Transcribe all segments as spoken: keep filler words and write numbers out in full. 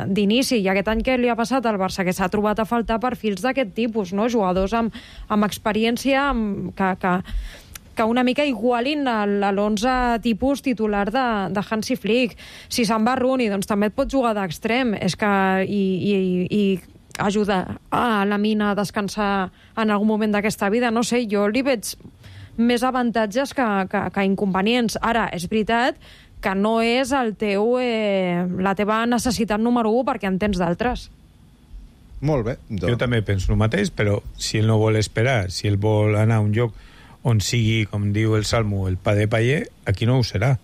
d'inici. I aquest any que li ha passat al Barça, que s'ha trobat a faltar perfils d'aquest tipus, no? Jugadors amb, amb experiència amb, que, que, que una mica igualin l'onze tipus titular de, de Hansi Flick. Si se'n va Rooney, doncs també et pot jugar d'extrem. És que... I, i, i ajuda a la mina a descansar en algun moment d'aquesta vida. No sé, jo li veig més avantatges que, que, que inconvenients. Ara, és veritat que no és el teu, eh, la teva necessitat número u perquè en tens d'altres. Molt bé. Doncs. Jo també penso el mateix, però si ell no vol esperar, si ell vol anar a un lloc on sigui, com diu el Salmo, el pa de paller, aquí no ho serà.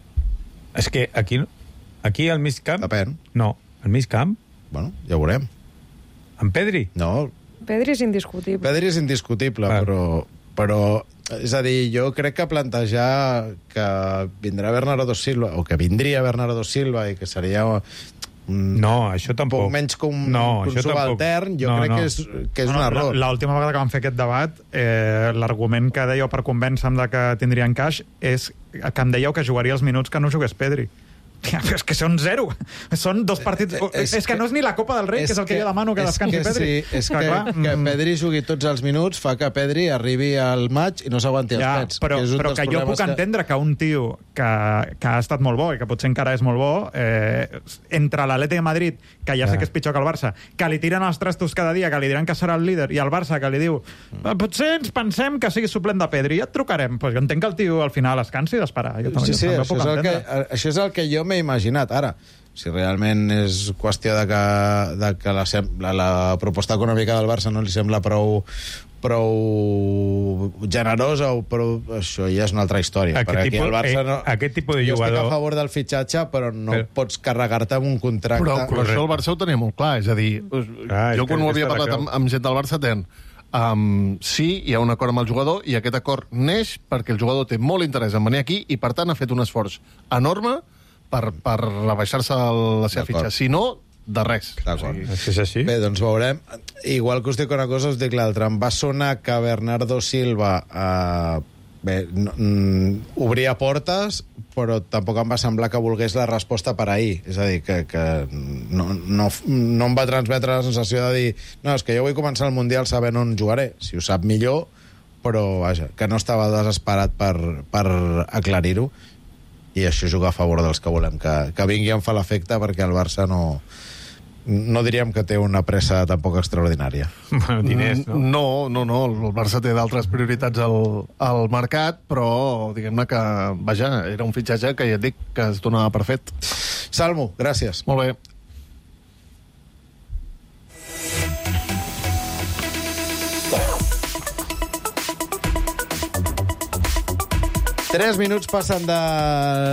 És que aquí, aquí al mig camp... Depèn. No, al mig camp... Bueno, ja ho veurem. En Pedri? No. Pedri és indiscutible. Pedri és indiscutible, ah. però, però... És a dir, jo crec que plantejar que vindrà Bernardo Silva, o que vindria Bernardo Silva, i que seria... Un, no, això tampoc. Un poc menys que un, no, un subaltern, jo no, crec no. que és, que és no, un error. L'última vegada que vam fer aquest debat, eh, l'argument que dèieu per convèncer-me de que tindria encaix és que em dèieu que jugaria els minuts que no jugués Pedri. És que són zero. Són dos partits... És, és que, que no és ni la Copa del Rei, que és el que, que jo demano que descansi que Pedri. Sí, és que, que, clar, que Pedri jugui tots els minuts fa que Pedri arribi al maig i no s'aguanti ja, els pets. Però, que però que jo puc que... entendre que un tio que, que ha estat molt bo i que potser encara és molt bo, eh, entre l'Atlètic de Madrid, que ja, ja sé que és pitjor que el Barça, que li tiren els trastos cada dia, que li diran que serà el líder, i el Barça que li diu potser ens pensem que sigui suplent de Pedri, ja et trucarem. Pues jo entenc que el tio al final es cansi d'esperar. Jo també, sí, sí, jo això, és el que, això és el que jo m'he imaginat. Ara, si realment és qüestió de que, de que la, la, la proposta econòmica del Barça no li sembla prou, prou generosa, o prou, això ja és una altra història. Aquest perquè tipus, el Barça no, eh, aquest tipus de jo jugador... estic a favor del fitxatge, però no però... pots carregar-te amb un contracte. Però, però això el Barça ho tenia molt clar, és a dir, ah, jo quan ho havia parlat amb, amb gent del Barça ten, um, sí, hi ha un acord amb el jugador, i aquest acord neix perquè el jugador té molt interès en venir aquí i, per tant, ha fet un esforç enorme per, per rebaixar-se la seva fitxa. Si no, de res. D'acord. Sí. És així? Bé, doncs veurem. Igual que us dic una cosa, us dic l'altra. Em va sonar que Bernardo Silva eh, bé, no, mm, obria portes, però tampoc em va semblar que volgués la resposta per ahir. És a dir, que, que no, no, no em va transmetre la sensació de dir no, és que jo vull començar el Mundial sabent on jugaré. Si ho sap millor, però vaja, que no estava desesperat per, per aclarir-ho. I això juga a favor dels que volem que, que vingui en fa l'efecte, perquè el Barça no, no diríem que té una pressa tampoc extraordinària. Bueno, diners, no? No, no, no, el Barça té d'altres prioritats al, al mercat, però diguem-ne que, vaja, era un fitxatge que ja et dic que es donava per fet. Salmo, gràcies. Molt bé. Tres minuts passen de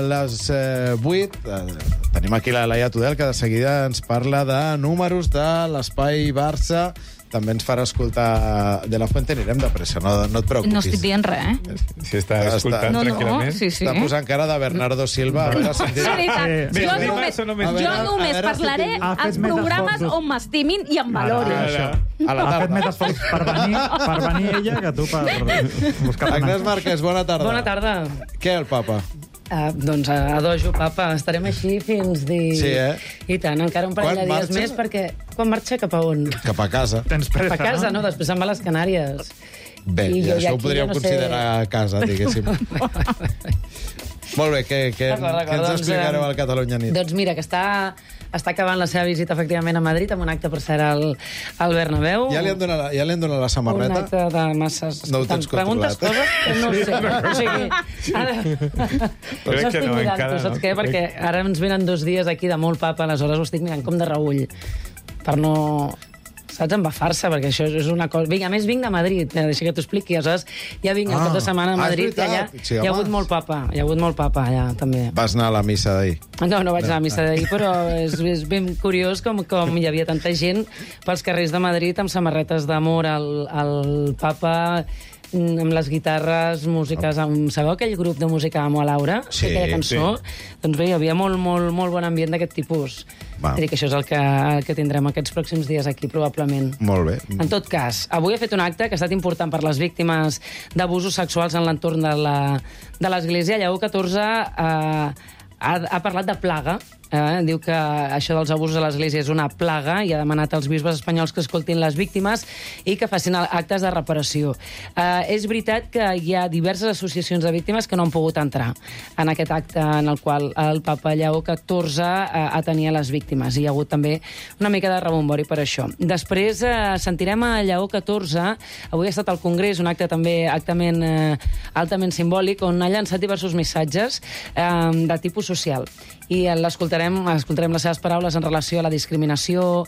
les eh, vuit. Eh, tenim aquí la Laia Tudel, que de seguida ens parla de números de l'Espai Barça. També ens farà escoltar De La Fuente. Anirem de pressa, no, no et preocupis. No estic dient res, eh? Si està escoltant no, no, tranquil·lament. sí, sí. Està posant cara de Bernardo Silva. A veure si És veritat. Bé, Jo bé, només, bé, només- jo veure, només a veure parlaré si tinc- als programes on m'estimin i em valorin. Ara, a la Ha fet més tarda. esforç per venir, per venir ella que tu per buscar Agnès Marquès, bona tarda. Bona tarda. Què, el papa? Uh, doncs a, a dojo, papa. Estarem així fins dir... Sí, eh? I tant, encara un parell Quan de dies marxa? més, perquè... Quan marxa cap a on? Cap a casa. Tens Cap pressa, a casa, no? Després se'n va a les Canàries. Bé, I i jo això ja ho aquí podríem ja no sé- considerar a casa, diguéssim. Molt bé, què, què, D'acord, d'acord, què ens doncs, explicareu eh, al Catalunya Nit? Doncs mira, que està, està acabant la seva visita, efectivament, a Madrid, amb un acte, per cert, al, al Bernabéu. Ja li han donat, la- ja li han donat la Un samarreta? acte de masses... No ho tens Preguntes controlat. coses que no sé. O sigui, ara... Crec Ho que estic no, mirant, encara tu saps no. què? Perquè ara ens venen dos dies aquí de molt papa, aleshores ho estic mirant com de reüll, per no... Saps? Embafar-se, perquè això és una cosa... Vinga, a més vinc de Madrid, eh, deixa que t'ho expliqui. Aleshores, ja vinc el Ah. cap de setmana a Ah, és Madrid, que allà veritat. Sí, hi ha home. hagut molt papa, hi ha hagut molt papa allà, també. Vas anar a la missa d'ahir. No, no vaig anar a la missa d'ahir, però és, és ben curiós com, com hi havia tanta gent pels carrers de Madrid amb samarretes d'amor al, al papa, amb les guitarres, músiques... Amb... Sabeu aquell grup de música Amo a Laura? Sí, aquella cançó? Doncs bé, hi havia molt, molt, molt bon ambient d'aquest tipus. Va. És dir, que això és el que, el que tindrem aquests pròxims dies aquí, probablement. Molt bé. En tot cas, avui ha fet un acte que ha estat important per les víctimes d'abusos sexuals en l'entorn de la- de l'Església. Lleó catorze eh, ha, ha parlat de plaga Eh? Diu que això dels abusos a l'Església és una plaga i ha demanat als bisbes espanyols que escoltin les víctimes i que facin actes de reparació. Eh, és veritat que hi ha diverses associacions de víctimes que no han pogut entrar en aquest acte en el qual el papa Lleó catorze eh, atenia les víctimes. Hi ha hagut també una mica de rebombori per això. Després eh, sentirem a Lleó catorze. Avui ha estat al Congrés, un acte també altament, eh, altament simbòlic, on ha llançat diversos missatges eh, de tipus social. I l'escoltarem, escoltarem les seves paraules en relació a la discriminació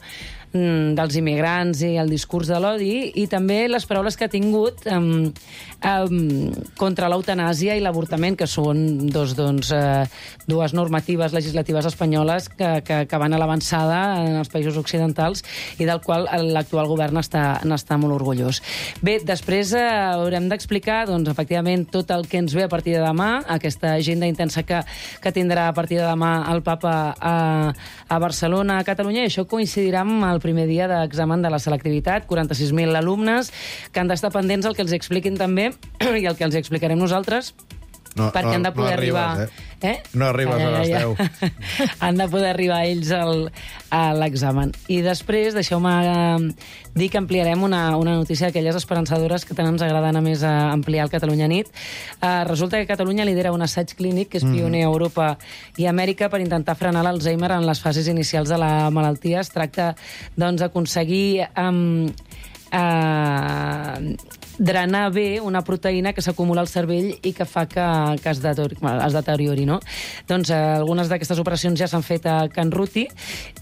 mm, dels immigrants i el discurs de l'odi, i també les paraules que ha tingut eh, eh, contra l'eutanàsia i l'avortament, que són dos, doncs, eh, dues normatives legislatives espanyoles que, que, que van a l'avançada en els països occidentals i del qual l'actual govern està, n'està molt orgullós. Bé, després eh, haurem d'explicar, doncs, efectivament, tot el que ens ve a partir de demà, aquesta agenda intensa que, que tindrà a partir de demà el papa a, a Barcelona, a Catalunya, i això coincidirà amb el primer dia d'examen de la selectivitat, quaranta-sis mil alumnes que han d'estar pendents el que els expliquin també i el que els explicarem nosaltres, no, perquè no, han de poder no arribes, arribar... Eh? Eh? No arribes ja, a les ja, deu. ja. Han de poder arribar ells al, a l'examen. I després, deixeu-me eh, dir que ampliarem una, una notícia d'aquelles esperançadores que tant ens agrada anar més a ampliar el Catalunya Nit. Eh, resulta que Catalunya lidera un assaig clínic que és pioner a Europa i Amèrica per intentar frenar l'Alzheimer en les fases inicials de la malaltia. Es tracta, doncs, d'aconseguir... Um, Uh, drenar bé una proteïna que s'acumula al cervell i que fa que, que es, deteriori, es deteriori, no? Doncs uh, algunes d'aquestes operacions ja s'han fet a Can Ruti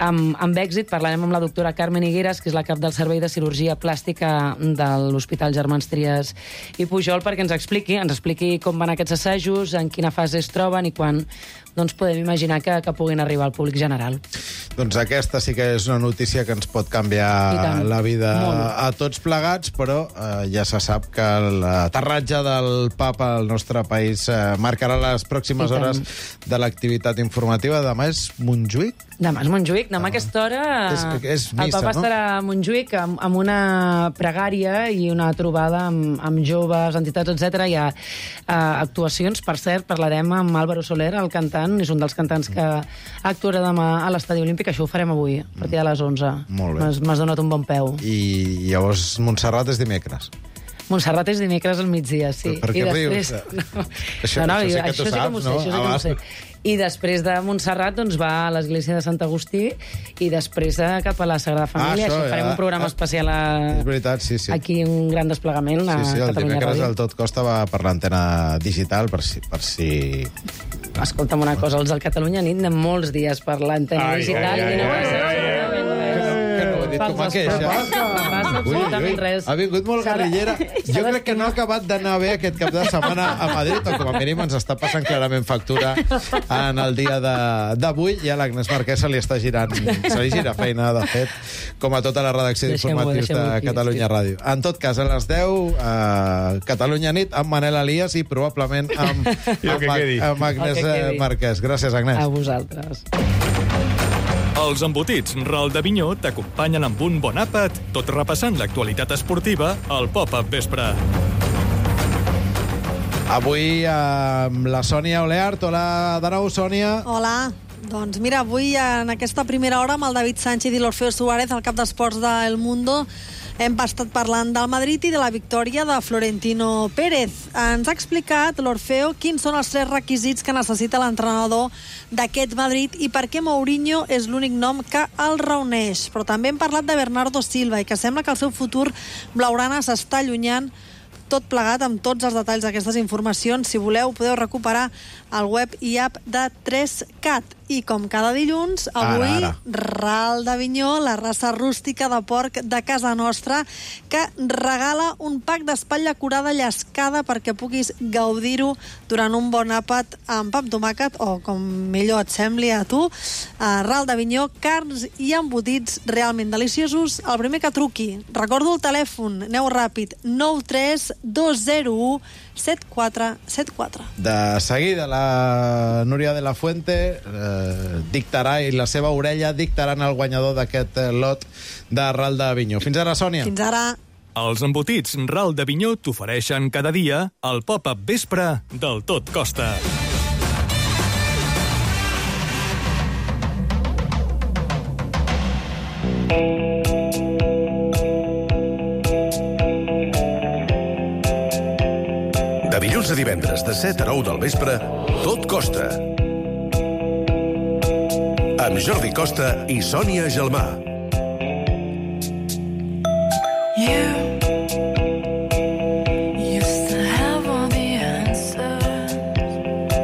amb, amb èxit. Parlarem amb la doctora Carmen Higueras, que és la cap del Servei de Cirurgia Plàstica de l'Hospital Germans Trias i Pujol, perquè ens expliqui, ens expliqui com van aquests assajos, en quina fase es troben i quan doncs, podem imaginar que, que puguin arribar al públic general. Doncs aquesta sí que és una notícia que ens pot canviar la vida Molt. a tots plegats, però eh, ja se sap que l'aterratge del papa al nostre país eh, marcarà les pròximes hores de l'activitat informativa. Demà és Montjuïc? Demà és Montjuïc. Demà a aquesta hora és, és missa, el papa no? estarà a Montjuïc amb, amb una pregària i una trobada amb, amb joves, entitats, etcètera. Hi ha uh, actuacions. Per cert, parlarem amb Álvaro Soler, el cantant, és un dels cantants que actuarà demà a l'Estadi Olímpic. Això ho farem avui, a partir de les onze. Molt bé. M'has donat un bon peu. I llavors Montserrat és dimecres. Montserrat és dimecres al migdia, sí. Per què rius? No, això, no, no, això sí que això tu sí que saps, m'ho sé, no? això sí que m'ho sé. I després de Montserrat doncs, va a l'església de Sant Agustí i després eh, cap a la Sagrada Família. Ah, això, això farem ja. un programa ah, especial a... És veritat, sí, sí. Aquí, un gran desplegament a sí, sí, Catalunya Ràdio. El dimecres el Tot Costa va per l'antena digital, per si... Per si... Escolta'm una cosa, els del Catalunya Nit anem molts dies per l'antena digital. Ai, ai, ai, ai, ai, ai, ai. Que no ho he dit com a queixa. Passa absolutament res. Ha vingut molt guerrillera. Jo crec que no ha acabat d'anar bé aquest cap de setmana a Madrid, o com a mínim ens està passant clarament factura en el dia d'avui, i a l'Agnès Marquès se li està girant, se li gira feina, de fet, com a tota la redacció d'informatius de Catalunya Ràdio. En tot cas, a les deu, a Catalunya Nit, amb Manel Elias i probablement amb, amb, amb Agnès Marquès. Gràcies, Agnès. A vosaltres. Els embotits Ral de Vinyó t'acompanyen amb un bon àpat, tot repassant l'actualitat esportiva al Pop-Up Vespre. Avui amb la Sònia Oleart. Hola de nou, Sònia. Hola. Doncs mira, avui en aquesta primera hora amb el David Sánchez i l'Orfeo Suárez, el cap d'esports d'El Mundo, hem estat parlant del Madrid i de la victòria de Florentino Pérez. Ens ha explicat l'Orfeo quins són els tres requisits que necessita l'entrenador d'aquest Madrid i per què Mourinho és l'únic nom que el reuneix. Però també hem parlat de Bernardo Silva i que sembla que el seu futur blaugrana s'està allunyant. Tot plegat amb tots els detalls d'aquestes informacions. Si voleu, podeu recuperar el web i app de tres cat. I com cada dilluns, avui, ara, ara. Ral d'Avinyó, la raça rústica de porc de casa nostra, que regala un pack d'espatlla curada llescada perquè puguis gaudir-ho durant un bon àpat amb pa amb tomàquet, o com millor et sembli a tu. Uh, Ral d'Avinyó, carns i embotits realment deliciosos. El primer que truqui, recordo el telèfon, aneu ràpid, nou tres dos zero u set quatre set quatre. De seguida, la Núria de la Fuente eh, dictarà, i la seva orella dictaran el guanyador d'aquest eh, lot de Ral d'Avinyó. Fins ara, Sònia. Fins ara. Els embotits Ral d'Avinyó t'ofereixen cada dia el Pop-Up Vespre del Tot Costa. De dilluns a divendres, de set a nou del vespre, Tot Costa. Amb Jordi Costa i Sònia Gelmà.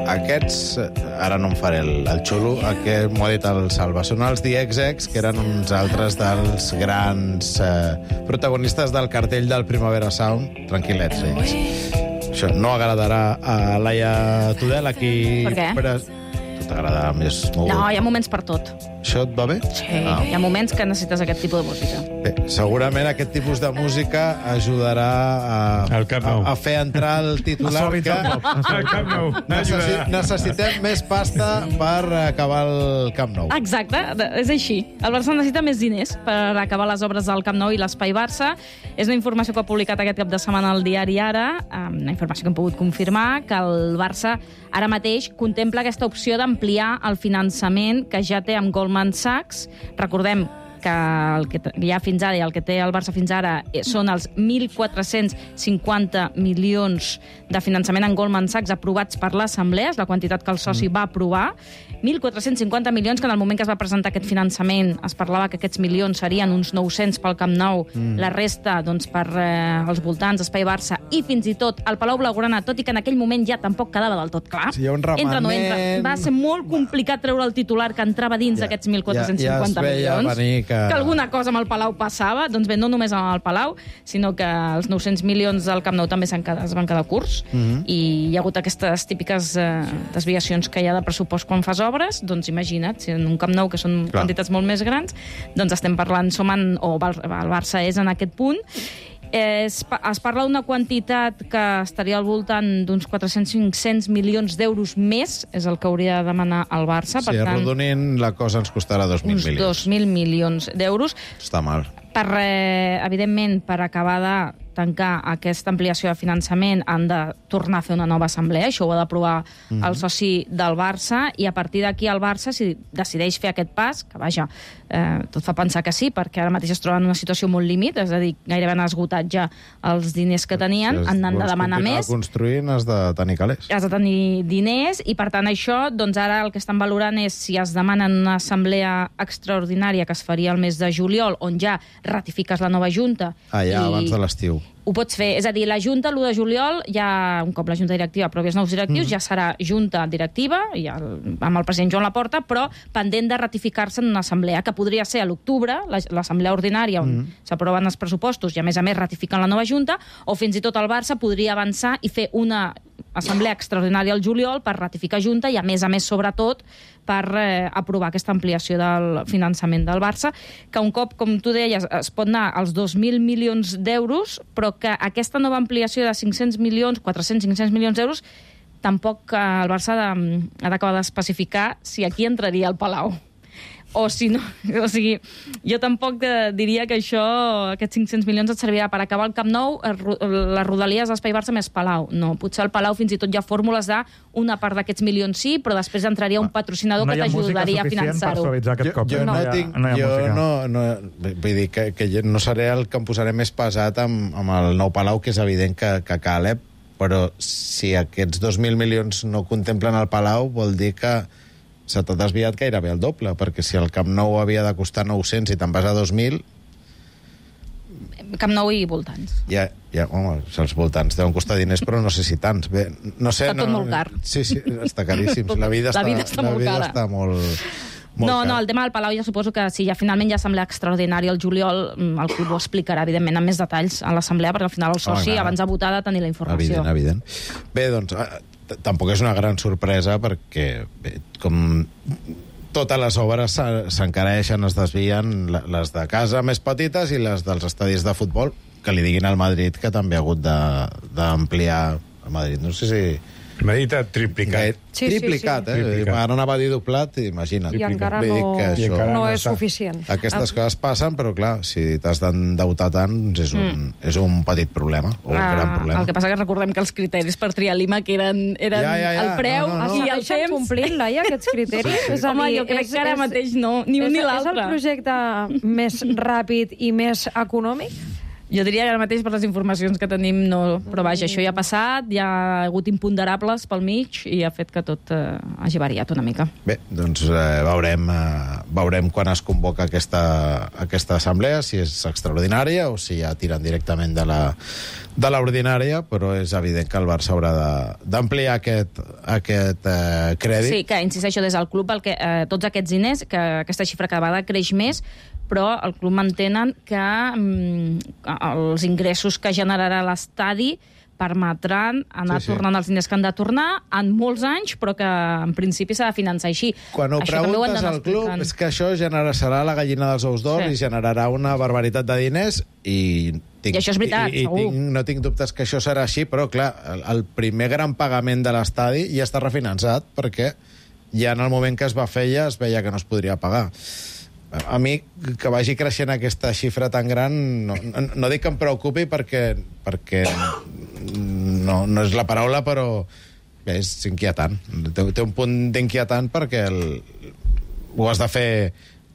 Aquests, ara no em faré el, el xulo, aquest m'ho ha dit el Salva, són els The X X, que eren uns altres dels grans eh, protagonistes del cartell del Primavera Sound. Tranquil·lets, ells. Això no agradarà a Laia Tudel, aquí... Per què? Però tu t'agradarà més... Molt... No, hi ha moments per tot. Això et va bé? Sí, ah. Hi ha moments que necessites aquest tipus de música. Bé, segurament aquest tipus de música ajudarà a, a, a fer entrar el titular que necessi, necessitem més pasta per acabar el Camp Nou. Exacte, és així. El Barça necessita més diners per acabar les obres del Camp Nou i l'Espai Barça. És una informació que ha publicat aquest cap de setmana el diari Ara, una informació que hem pogut confirmar, que el Barça ara mateix contempla aquesta opció d'ampliar el finançament que ja té amb Goldman Sachs. Recordem que el que hi ha fins ara i el que té el Barça fins ara són els mil quatre-cents cinquanta milions de finançament en Goldman Sachs aprovats per l'Assemblea, és la quantitat que el soci mm. va aprovar. mil quatre-cents cinquanta milions que en el moment que es va presentar aquest finançament es parlava que aquests milions serien uns nou-cents pel Camp Nou, mm. la resta doncs, per eh, els voltants, Espai Barça i fins i tot el Palau Blaugrana, tot i que en aquell moment ja tampoc quedava del tot clar. Sí, hi ha un remanent... Entra, no entra. Va ser molt complicat treure el titular que entrava dins d'aquests ja, mil quatre-cents cinquanta ja, ja milions. Venir que... que alguna cosa amb el Palau passava. Doncs bé, no només amb el Palau, sinó que els nou-cents milions del Camp Nou també quedat, es van quedar curts mm-hmm. i hi ha hagut aquestes típiques eh, desviacions que hi ha de pressupost quan fas obres. Doncs imagina't, si en un Camp Nou que són Clar. quantitats molt més grans, doncs estem parlant, som en, o el Barça és en aquest punt. Eh, es, es parla d'una quantitat que estaria al voltant d'uns quatre-cents a cinc-cents milions d'euros més, és el que hauria de demanar el Barça. Sí, per tant, arrodonint, la cosa ens costarà dos mil milions. Uns dos mil milions d'euros. Està mal. Per, eh, evidentment, per acabar de tancar aquesta ampliació de finançament han de tornar a fer una nova assemblea, això ho ha d'aprovar mm-hmm. el soci del Barça, i a partir d'aquí el Barça, si decideix fer aquest pas, que vaja, eh, tot fa pensar que sí, perquè ara mateix es troba en una situació molt límit, és a dir, gairebé han esgotat ja els diners que tenien, si han de demanar més. Si construint has de tenir calés. Has de tenir diners, i per tant això, doncs ara el que estan valorant és si es demanen una assemblea extraordinària que es faria el mes de juliol, on ja ratifiques la nova Junta. Ah, ja, i... abans de l'estiu. Ho pots fer. És a dir, la Junta, l'u de juliol, ja, un cop la Junta directiva aprovi els nous directius, mm. ja serà Junta directiva, i el, amb el president Joan Laporta, però pendent de ratificar-se en una assemblea, que podria ser a l'octubre, l'assemblea ordinària, on mm. s'aproven els pressupostos i, a més a més, ratifiquen la nova Junta, o fins i tot el Barça podria avançar i fer una assemblea extraordinària al juliol per ratificar Junta i, a més a més, sobretot, per eh, aprovar aquesta ampliació del finançament del Barça, que un cop, com tu deies, es pot anar als dos mil milions d'euros, però que aquesta nova ampliació de cinc-cents milions, quatre-cents a cinc-cents milions d'euros, tampoc eh, el Barça ha d'acabar d'especificar si aquí entraria el Palau. O si no, o sigui, jo tampoc diria que això, aquests cinc-cents milions et servirà per acabar el Camp Nou, les rodalies d'Espai Barça més Palau. No, potser al Palau fins i tot hi ha fórmules d'una part d'aquests milions sí, però després entraria un patrocinador no que t'ajudaria a finançar-ho. Jo, jo, no, no, tinc, no jo no, no, vull dir que, que jo no seré el que em posaré més pesat amb, amb el nou Palau, que és evident que, que cal, eh? Però si aquests dos mil milions no contemplen el Palau, vol dir que se t'ha desviat gairebé el doble, perquè si el Camp Nou havia de costar nou-cents i te'n vas a dos mil... Camp Nou i voltants. Ja, ja, home, els voltants deuen costar diners, però no sé si tants. Bé, no sé, està tot no, molt car. Sí, sí, està caríssim. La vida, la està, vida està la molt vida cara. Està molt, molt no, cara. no, el tema del Palau ja suposo que si ja finalment hi ha assemblea extraordinària al juliol, el club ho explicarà, evidentment, amb més detalls a l'assemblea, perquè al final el soci, oh, abans de votar, ha de tenir la informació. Evident, evident. Bé, doncs, tampoc és una gran sorpresa, perquè, bé, com totes les obres s'encareixen, es desvien, les de casa més petites i les dels estadis de futbol, que li diguin al Madrid que també ha hagut d'ampliar el Madrid. No sé si El Madrid ha triplicat. Sí, triplicat, sí, sí. eh? Triplicat. Ara anava a dir doblat, imagina't. I encara Vull dir no, que això- I encara no no és està. suficient. Aquestes coses passen, però clar, si t'has d'endeutar tant, doncs és un, Mm. és un petit problema, o un Ah, gran problema. El que passa que recordem que els criteris per triar l'I M A que eren, eren Ja, ja, ja. el preu No, no, no. i el Segueixen temps. complint, Laia, aquests criteris? Sí, sí. És a Home, dir, jo crec és- que ara és- mateix no, ni un és, ni És l'altre. el projecte més ràpid i més econòmic? Jo diria que ara mateix, per les informacions que tenim, no. Però vaja, això ja ha passat, ja ha hagut imponderables pel mig i ha fet que tot eh, hagi variat una mica. Bé, doncs eh, veurem, eh, veurem quan es convoca aquesta, aquesta assemblea, si és extraordinària o si ja tiren directament de la de l'ordinària, però és evident que el Barça haurà de- d'ampliar aquest, aquest eh, crèdit. Sí, que insisteixo, des del club, el que, eh, tots aquests diners, que aquesta xifra cada vegada creix més, però el club mantenen que mm, els ingressos que generarà l'estadi permetran anar Sí, sí. tornant els diners que han de tornar en molts anys, però que en principi s'ha de finançar així. Quan ho Això també ho han preguntes d'anar al club, explicant. és que això generarà, serà la gallina dels ous d'or Sí. i generarà una barbaritat de diners i... Tinc, I això és veritat, i, i segur. tinc, no tinc dubtes que això serà així, però clar, el, el primer gran pagament de l'estadi ja està refinançat perquè ja en el moment que es va fer ja es veia que no es podria pagar. A mi, que vagi creixent aquesta xifra tan gran, no, no, no dic que em preocupi perquè, perquè no, no és la paraula, però bé, és inquietant. Té, té un punt d'inquietant perquè el, ho has de fer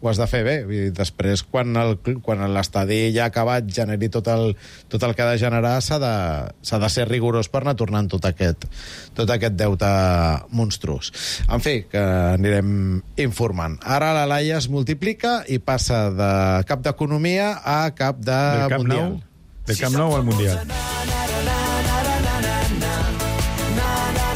ho has de fer bé. I després, quan el- quan l'estadi ja ha acabat, generi tot el, tot el que ha de generar, s'ha de, s'ha de ser rigorós per anar tornant tot aquest, tot aquest deute monstruós. En fi, que anirem informant. Ara la Laia es multiplica i passa de cap d'economia a cap de Del Camp mundial. Nou, del Camp Nou al Mundial.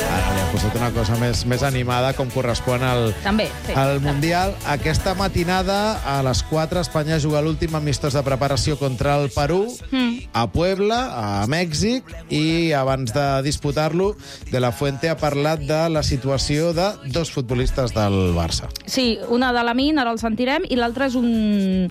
Ara li ha posat una cosa més, més animada, com correspon al, També, sí. al Mundial. Aquesta matinada, a les quatre, Espanya juga l'últim amistós de preparació contra el Perú, Mm. a Puebla, a Mèxic, i abans de disputar-lo, De La Fuente ha parlat de la situació de dos futbolistes del Barça. Sí, una de l'Amin, ara el sentirem, i l'altra és un,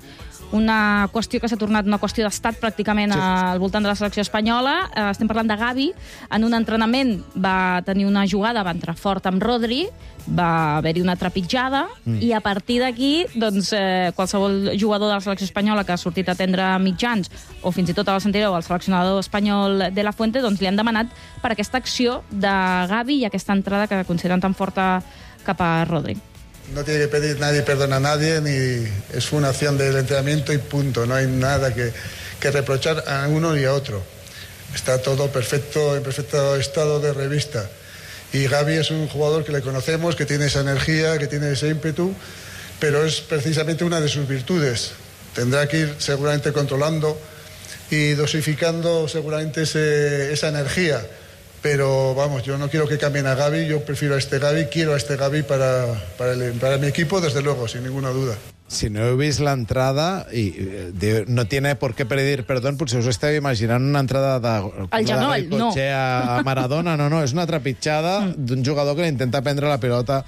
una qüestió que s'ha tornat una qüestió d'estat pràcticament Sí. al voltant de la selecció espanyola. Eh, estem parlant de Gavi. En un entrenament va tenir una jugada, va entrar fort amb Rodri, va haver-hi una trepitjada, mm. i a partir d'aquí, doncs, eh, qualsevol jugador de la selecció espanyola que ha sortit a atendre mitjans, o fins i tot abans sentireu el seleccionador espanyol de La Fuente, doncs li han demanat per aquesta acció de Gavi i aquesta entrada que consideren tan forta cap a Rodri. No tiene que pedir nadie perdón a nadie, ni es una acción del entrenamiento y punto. No hay nada que, que reprochar a uno y a otro. Está todo perfecto, en perfecto estado de revista. Y Gavi es un jugador que le conocemos, que tiene esa energía, que tiene ese ímpetu, pero es precisamente una de sus virtudes. Tendrá que ir seguramente controlando y dosificando seguramente ese, esa energía. Pero vamos, yo no quiero que cambien a Gavi, yo prefiero a este Gavi, quiero a este Gavi para, para, el, para mi equipo, desde luego, sin ninguna duda. Si no heu vist l'entrada, i eh, diu, no tiene por qué pedir perdón, potser us esteu imaginant una entrada de... Al genoll, no. A, a Maradona, no, no, és una trepitjada d'un jugador que li intenta prendre la pilota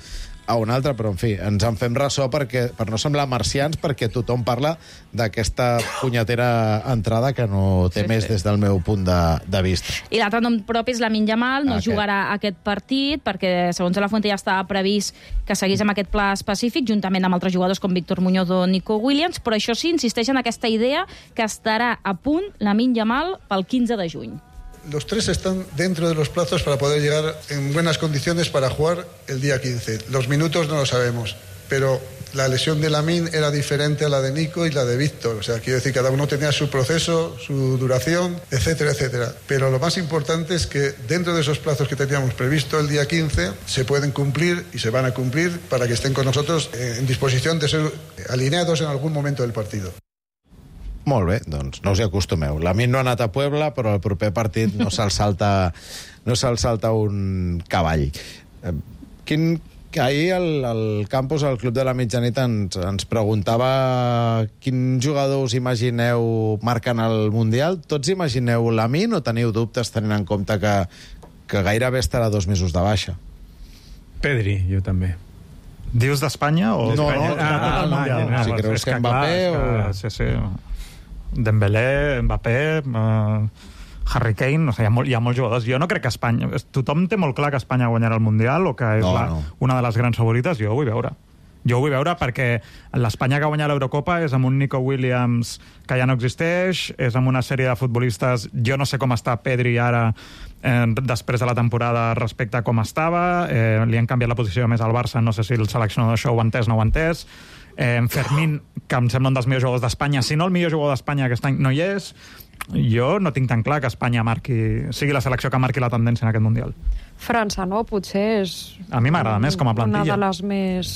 a un altre, però en fi, ens en fem ressò perquè, per no semblar marcians, perquè tothom parla d'aquesta punyetera entrada que no té Sí, més sí. des del meu punt de, de vista. I l'altre nom propi és Lamine Yamal, no Aquest. jugarà aquest partit perquè, segons la Fuente, ja estava previst que seguís amb aquest pla específic, juntament amb altres jugadors com Víctor Muñoz o Nico Williams, però això sí, insisteix en aquesta idea que estarà a punt Lamine Yamal pel quinze de juny. Los tres están dentro de los plazos para poder llegar en buenas condiciones para jugar el día quince. Los minutos no lo sabemos, pero la lesión de Lamine era diferente a la de Nico y la de Víctor. O sea, quiero decir, cada uno tenía su proceso, su duración, etcétera, etcétera. Pero lo más importante es que dentro de esos plazos que teníamos previsto el día quince, se pueden cumplir y se van a cumplir para que estén con nosotros en disposición de ser alineados en algún momento del partido. Molt bé, doncs no us hi acostumeu. Lamine no ha anat a Puebla, però el proper partit no se'l salta, no se'l salta un cavall. Eh, Quin, ahir el, el campus, el Club de la Mitjanit, ens, ens preguntava quin jugador us imagineu marcant el Mundial. Tots imagineu Lamine o teniu dubtes tenint en compte que, que gairebé estarà dos mesos de baixa? Pedri, jo també. Dius d'Espanya o No, d'Espanya? no, de tot el ah, Mundial? ah, si pues creus és que Mbappé clar, és o- que, sí, sí. Dembélé, Mbappé... Eh, Harry Kane, no sé, hi ha, molt, hi ha molts jugadors. Jo no crec que Espanya... Tothom té molt clar que Espanya guanyarà el Mundial o que és No, la, no. una de les grans favorites. Jo ho vull veure. Jo ho vull veure perquè l'Espanya que ha guanyat l'Eurocopa és amb un Nico Williams que ja no existeix, és amb una sèrie de futbolistes... Jo no sé com està Pedri ara eh, després de la temporada respecte a com estava. Eh, li han canviat la posició més al Barça, no sé si el seleccionador això ho ha entès, no ho ha entès. Eh, Fermín, que em sembla un dels millors jugadors d'Espanya, si no el millor jugador d'Espanya aquest any no hi és. Jo no tinc tan clar que Espanya marqui, sigui la selecció que marqui la tendència en aquest Mundial. França, no? Potser és... A mi m'agrada més com a plantilla. Una de les més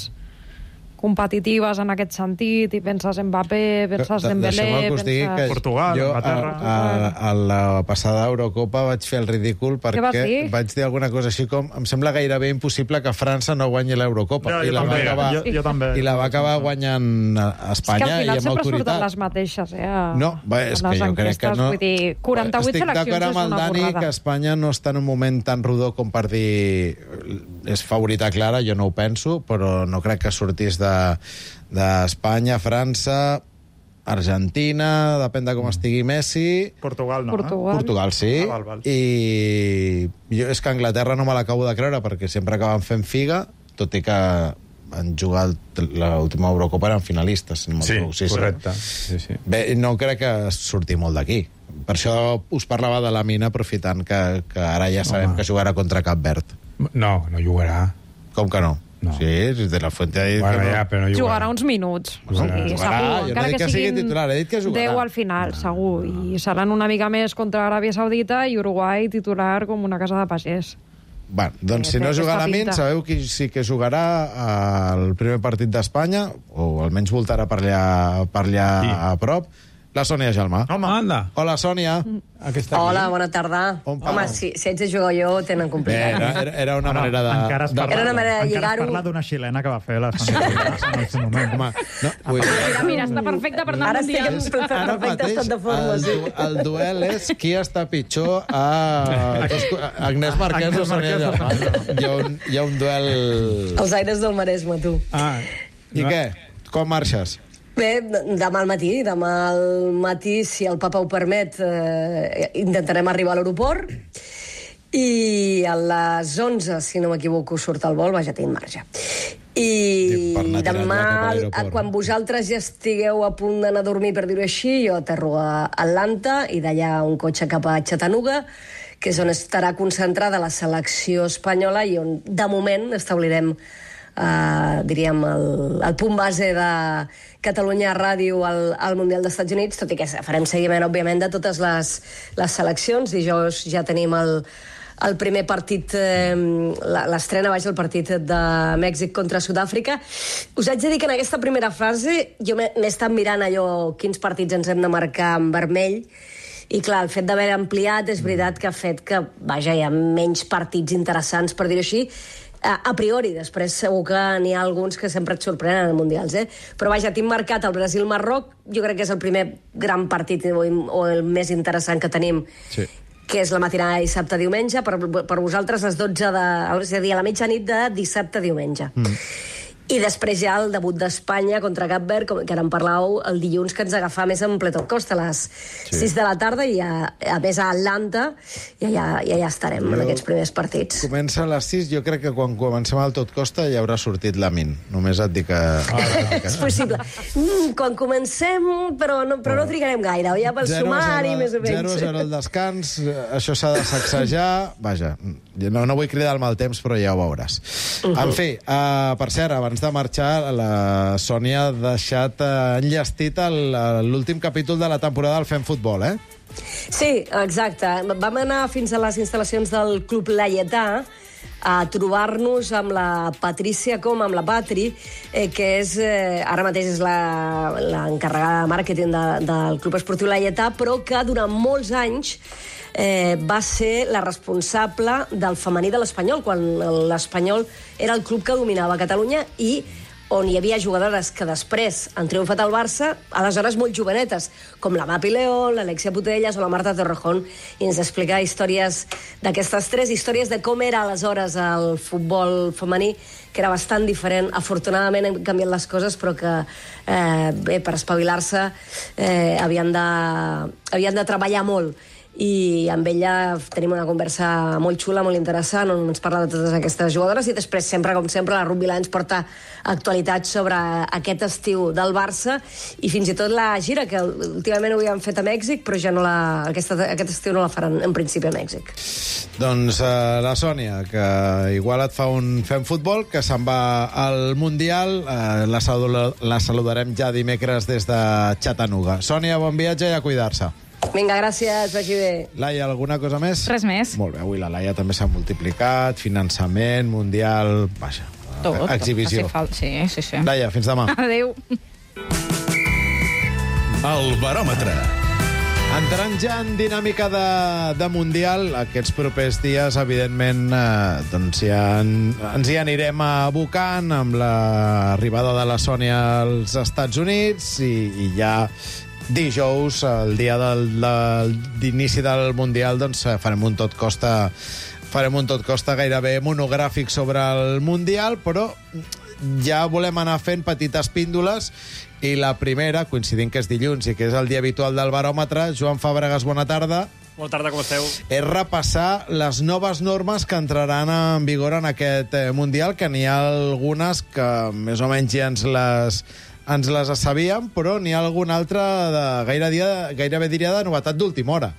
competitives en aquest sentit, i penses en Mbappé, penses en Dembélé, Deixeu-me que us digui que Portugal, jo a, Anglaterra. a, a la passada Eurocopa vaig fer el ridícul vas perquè dir? vaig dir alguna cosa així com em sembla gairebé impossible que França no guanyi l'Eurocopa. Jo, I, jo la va també, acabar, jo- jo també. I la va acabar guanyant a És que Espanya al i final amb sempre surten autoritat. les mateixes, eh? A, No, va, és a que les jo crec que enquestes. no... Vull dir, quaranta-vuit Estic seleccions d'acord és amb el una Dani borrada. que Espanya no està en un moment tan rodó com per dir és favorita clara, jo no ho penso, però no crec que sortís de d'Espanya, França, Argentina, depèn de com estigui Messi... Portugal no, Portugal. Portugal, sí. Ah, val, val. I jo és que Anglaterra no me l'acabo de creure perquè sempre acaben fent figa, tot i que han jugat l'última Eurocopa eren finalistes. Si no Sí, m'equivoco. correcte. Sí, sí. Bé, no crec que surti molt d'aquí. Per això us parlava de la mina, aprofitant que, que ara ja sabem Home. que jugarà contra Cap Verd. No, no jugarà. Com que no? No. Sí, de la Fuente ha dit Bueno, que no. ja, però no jugarà. Jugarà uns minuts. O Jugarà. sigui, Jugarà, segur. jo no Encara dic que que sigui siguin titular, he dit que jugarà. deu al final, segur. I seran una mica més contra Aràbia Saudita i Uruguai titular com una casa de pagès. Bueno, doncs Sí, si no té juga aquesta la Min, pinta. sabeu qui sí que jugarà al primer partit d'Espanya, o almenys voltarà per allà, per allà Qui? a prop, la Sònia Gelmà. Home, anda. Hola, Sònia. Aquesta Hola, bona tarda. On Home, parla? si, si haig de jugar jo, ho tenen Bé, complicat. era, era- era una Ara, manera de... encara es de... parla, Era una manera de encara es lligar-ho. parla d'una xilena que va fer la Sònia en el seu moment. Home, no, vull dir, Mira, mira, està perfecte per anar Ara al estic en Mundial. ara perfecte estat de forma, el, sí. du- el duel és qui està pitjor a, a Agnès Marquès o Agnès Sònia Marquès o Gelmà. Hi ha un, hi ha un duel... Els aires del Maresme, tu. Ah, I què? Com marxes? Bé, demà al matí, demà al matí, si el papa ho permet, eh, intentarem arribar a l'aeroport i a les onze, si no m'equivoco, surt el vol, vaja, tinc marge. I Per anar tirant demà, ja cap a l'aeroport, quan no? vosaltres ja estigueu a punt d'anar a dormir, per dir-ho així, jo aterro a Atlanta i d'allà un cotxe cap a Chattanooga, que és on estarà concentrada la selecció espanyola i on, de moment, establirem Uh, diríem, el, el punt base de Catalunya Ràdio al, al Mundial dels Estats Units, tot i que farem seguiment, òbviament, de totes les, les seleccions. Dijous ja tenim el, el primer partit, eh, l'estrena, vaja, el partit de Mèxic contra Sud-àfrica. Us haig de dir que en aquesta primera fase jo m'he m'he estat mirant allò, quins partits ens hem de marcar en vermell, i clar, el fet d'haver ampliat és veritat que ha fet que, vaja, hi ha menys partits interessants, per dir-ho així, a, a priori. Després segur que n'hi ha alguns que sempre et sorprenen en Mundials, eh? Però vaja, tinc marcat el Brasil-Marroc, jo crec que és el primer gran partit o, o el més interessant que tenim, Sí. que és la matinada de dissabte-diumenge, per, per vosaltres les dotze de... És a dir, a la mitjanit de dissabte-diumenge. Mm. I després ja el debut d'Espanya contra Cap Verd, com que ara en parlàveu, el dilluns, que ens agafà més en ple tot cost, a les sí. sis de la tarda, i a, a més a Atlanta, i ja, ja, ja estarem jo... en aquests primers partits. Comença a les sis, jo crec que quan comencem al tot costa ja haurà sortit la Min. Només et dic que... Ah, És possible. Mm, quan comencem, però no, però no trigarem gaire, ja pel sumari, més o menys. zero a zero el descans, això s'ha de sacsejar... Vaja, no, no vull cridar el mal temps, però ja ho veuràs. Uh -huh. En fi, uh, per cert, abans de marxar, la Sònia ha deixat uh, enllestit el- l'últim capítol de la temporada del Fem Futbol, eh? Sí, exacte. Vam anar fins a les instal·lacions del Club Laietà a trobar-nos amb la Patrícia Com, amb la Patri, eh, que és, eh, ara mateix és la- l'encarregada de màrqueting de, del Club Esportiu Laietà, però que durant molts anys eh, va ser la responsable del femení de l'Espanyol, quan l'Espanyol era el club que dominava Catalunya i on hi havia jugadores que després han triomfat al Barça, aleshores molt jovenetes, com la Mapi León, l'Alexia Putellas o la Marta Torrejón, i ens explica històries d'aquestes tres, històries de com era aleshores el futbol femení, que era bastant diferent. Afortunadament han canviat les coses, però que, eh, bé, per espavilar-se eh, havien, de, havien de treballar molt. i amb ella tenim una conversa molt xula, molt interessant, on ens parla de totes aquestes jugadores, i després, sempre, com sempre, la Rugby Line ens porta actualitats sobre aquest estiu del Barça, i fins i tot la gira, que últimament ho havíem fet a Mèxic, però ja no la, aquesta, aquest estiu no la faran en principi a Mèxic. Doncs uh, la Sònia, que igual et fa un fem futbol, que se'n va al Mundial, uh, la, saluda, la saludarem ja dimecres des de Chattanooga. Sònia, bon viatge i a cuidar-se. Vinga, gràcies, vagi bé. Laia, alguna cosa més? Res més. Molt bé, avui la Laia també s'ha multiplicat, finançament, Mundial, vaja, tot, exhibició. Tot. Sí, sí, sí. Laia, fins demà. Adéu. El baròmetre. Entrant ja en dinàmica de, de Mundial, aquests propers dies, evidentment, eh, doncs ja en, ens hi anirem abocant amb l'arribada de la Sònia als Estats Units i, i ja dijous, el dia del, del, d'inici del Mundial, doncs farem un tot costa farem un tot costa gairebé monogràfic sobre el Mundial, però ja volem anar fent petites píndoles, i la primera, coincidint que és dilluns i que és el dia habitual del baròmetre. Joan Fàbregas, bona tarda. Bona tarda, com esteu? És repassar les noves normes que entraran en vigor en aquest eh, Mundial, que n'hi ha algunes que més o menys ja ens les ens les sabíem, però n'hi ha alguna altra de gaire dia, gairebé diria de novetat d'última hora.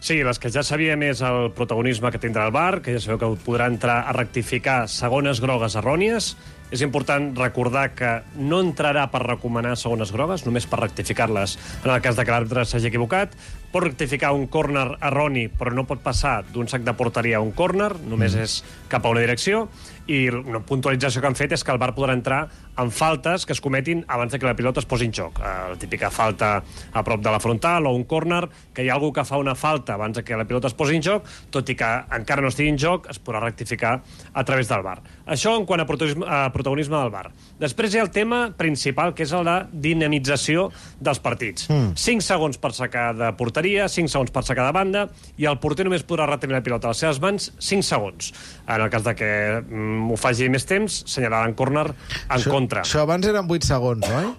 Sí, les que ja sabíem és el protagonisme que tindrà el V A R, que ja sabeu que podrà entrar a rectificar segones grogues errònies. És important recordar que no entrarà per recomanar segones grogues, només per rectificar-les en el cas de que l'àrbitre s'hagi equivocat. Pot rectificar un córner erroni, però no pot passar d'un sac de porteria a un córner, només mm. és cap a una direcció. I una puntualització que han fet és que el V A R podrà entrar en faltes que es cometin abans de que la pilota es posi en joc. La típica falta a prop de la frontal o un córner, que hi ha algú que fa una falta abans de que la pilota es posi en joc, tot i que encara no estigui en joc, es podrà rectificar a través del V A R. Això en quant a protagonisme, a protagonisme del V A R. Després hi ha el tema principal, que és el de dinamització dels partits. Mm. cinc segons per sacar de porteria, cinc segons per sacar de banda, i el porter només podrà retenir la pilota a les seves mans cinc segons. En el cas de que mm, ho faci més temps, senyalaran córner en això, contra. Això abans eren vuit segons, oi?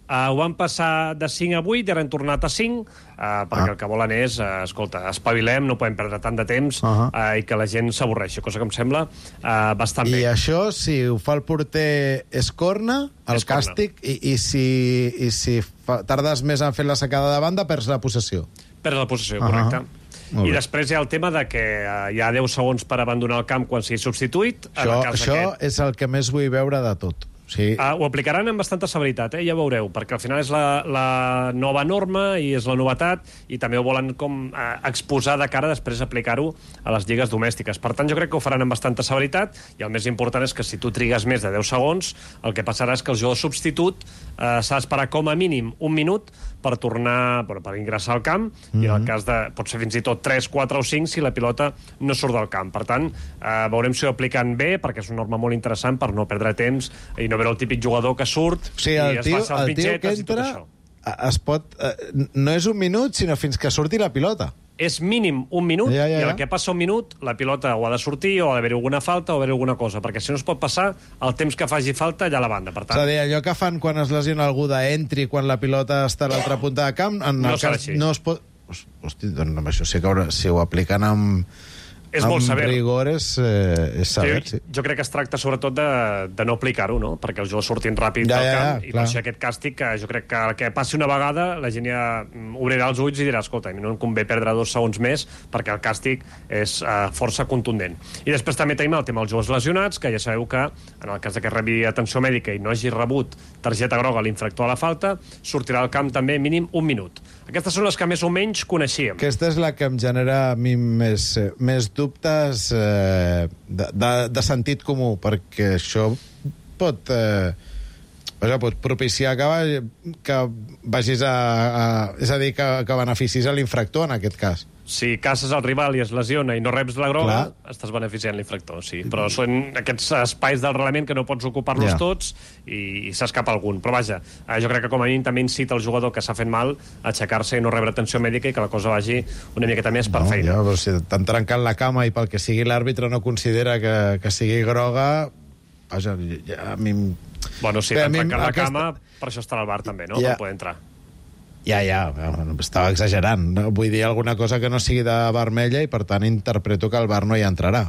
Uh, ho van passar de cinc a vuit i ara han tornat a cinc, uh, perquè ah. el que volen és, uh, escolta, espavilem, no podem perdre tant de temps uh -huh. uh, i que la gent s'avorreixi, cosa que em sembla uh, bastant I bé. I això, si ho fa el porter, és corna, el és càstig, corna. I, i si, i si fa, tardes més en fer la sacada de banda, perds la possessió. Perds la possessió, uh -huh. correcte. I després hi ha el tema de que uh, hi ha deu segons per abandonar el camp quan sigui substituït. Això, en el cas això aquest... és el que més vull veure de tot. Sí. Uh, ho aplicaran amb bastanta severitat, eh? Ja veureu, perquè al final és la, la nova norma i és la novetat, i també ho volen com uh, exposar de cara després aplicar-ho a les lligues domèstiques. Per tant, jo crec que ho faran amb bastanta severitat, i el més important és que si tu trigues més de deu segons, el que passarà és que el jugador substitut uh, s'ha d'esperar com a mínim un minut per tornar, bueno, per ingressar al camp, mm-hmm. i en el cas de, pot ser fins i tot tres, quatre o cinc si la pilota no surt del camp. Per tant, uh, veurem si ho apliquen bé, perquè és una norma molt interessant per no perdre temps i no veure el típic jugador que surt, o sigui, el i es tio, passa els mitgetes i tot això. Es pot, eh, no és un minut, sinó fins que surti la pilota. És mínim un minut, ja, ja, ja. i el que passa un minut, la pilota o ha de sortir, o ha d'haver alguna falta, o haver alguna cosa, perquè si no es pot passar el temps que faci falta allà a la banda. Per tant... És a dir, allò que fan quan es lesiona algú d'entri, quan la pilota està a l'altra punta de camp, en no el cas no es pot... Hosti, doncs amb això sí que si ho apliquen amb... És molt sever. Amb rigor és, eh, és sever, jo, sí. Jo crec que es tracta sobretot de, de no aplicar-ho, no? Perquè els jugadors surtin ràpid ja, del ja, camp, ja, i per això aquest càstig, que jo crec que el que passi una vegada, la gent ja obrirà els ulls i dirà, escolta, a mi no em convé perdre dos segons més, perquè el càstig és uh, força contundent. I després també tenim el tema dels jugadors lesionats, que ja sabeu que, en el cas de que rebi atenció mèdica i no hagi rebut targeta groga a l'infractor a la falta, sortirà al camp també mínim un minut. Aquestes són les que més o menys coneixíem. Aquesta és la que em genera a mi més, més dubtes eh, de, de, de sentit comú, perquè això pot, eh, pot propiciar que, que vagis a, a... És a dir, que, que beneficis a l'infractor, en aquest cas. Si caces el rival i es lesiona i no reps la groga, clar, estàs beneficiant l'infractor, sí. Però són aquests espais del reglament que no pots ocupar-los ja. tots i, i s'escapa algun. Però vaja, jo crec que com a mínim també incita el jugador que s'ha fet mal a aixecar-se i no rebre atenció mèdica i que la cosa vagi una miqueta més per no, feina. Ja, però si t'han trencat la cama i pel que sigui l'àrbitre no considera que, que sigui groga, vaja, ja, a mi... Bueno, si t'han trencat la aquesta... cama, per això estarà al V A R també, no? Ja. Per poder entrar. Ja, ja, estava exagerant. No? Vull dir alguna cosa que no sigui de vermella i, per tant, interpreto que el V A R no hi entrarà.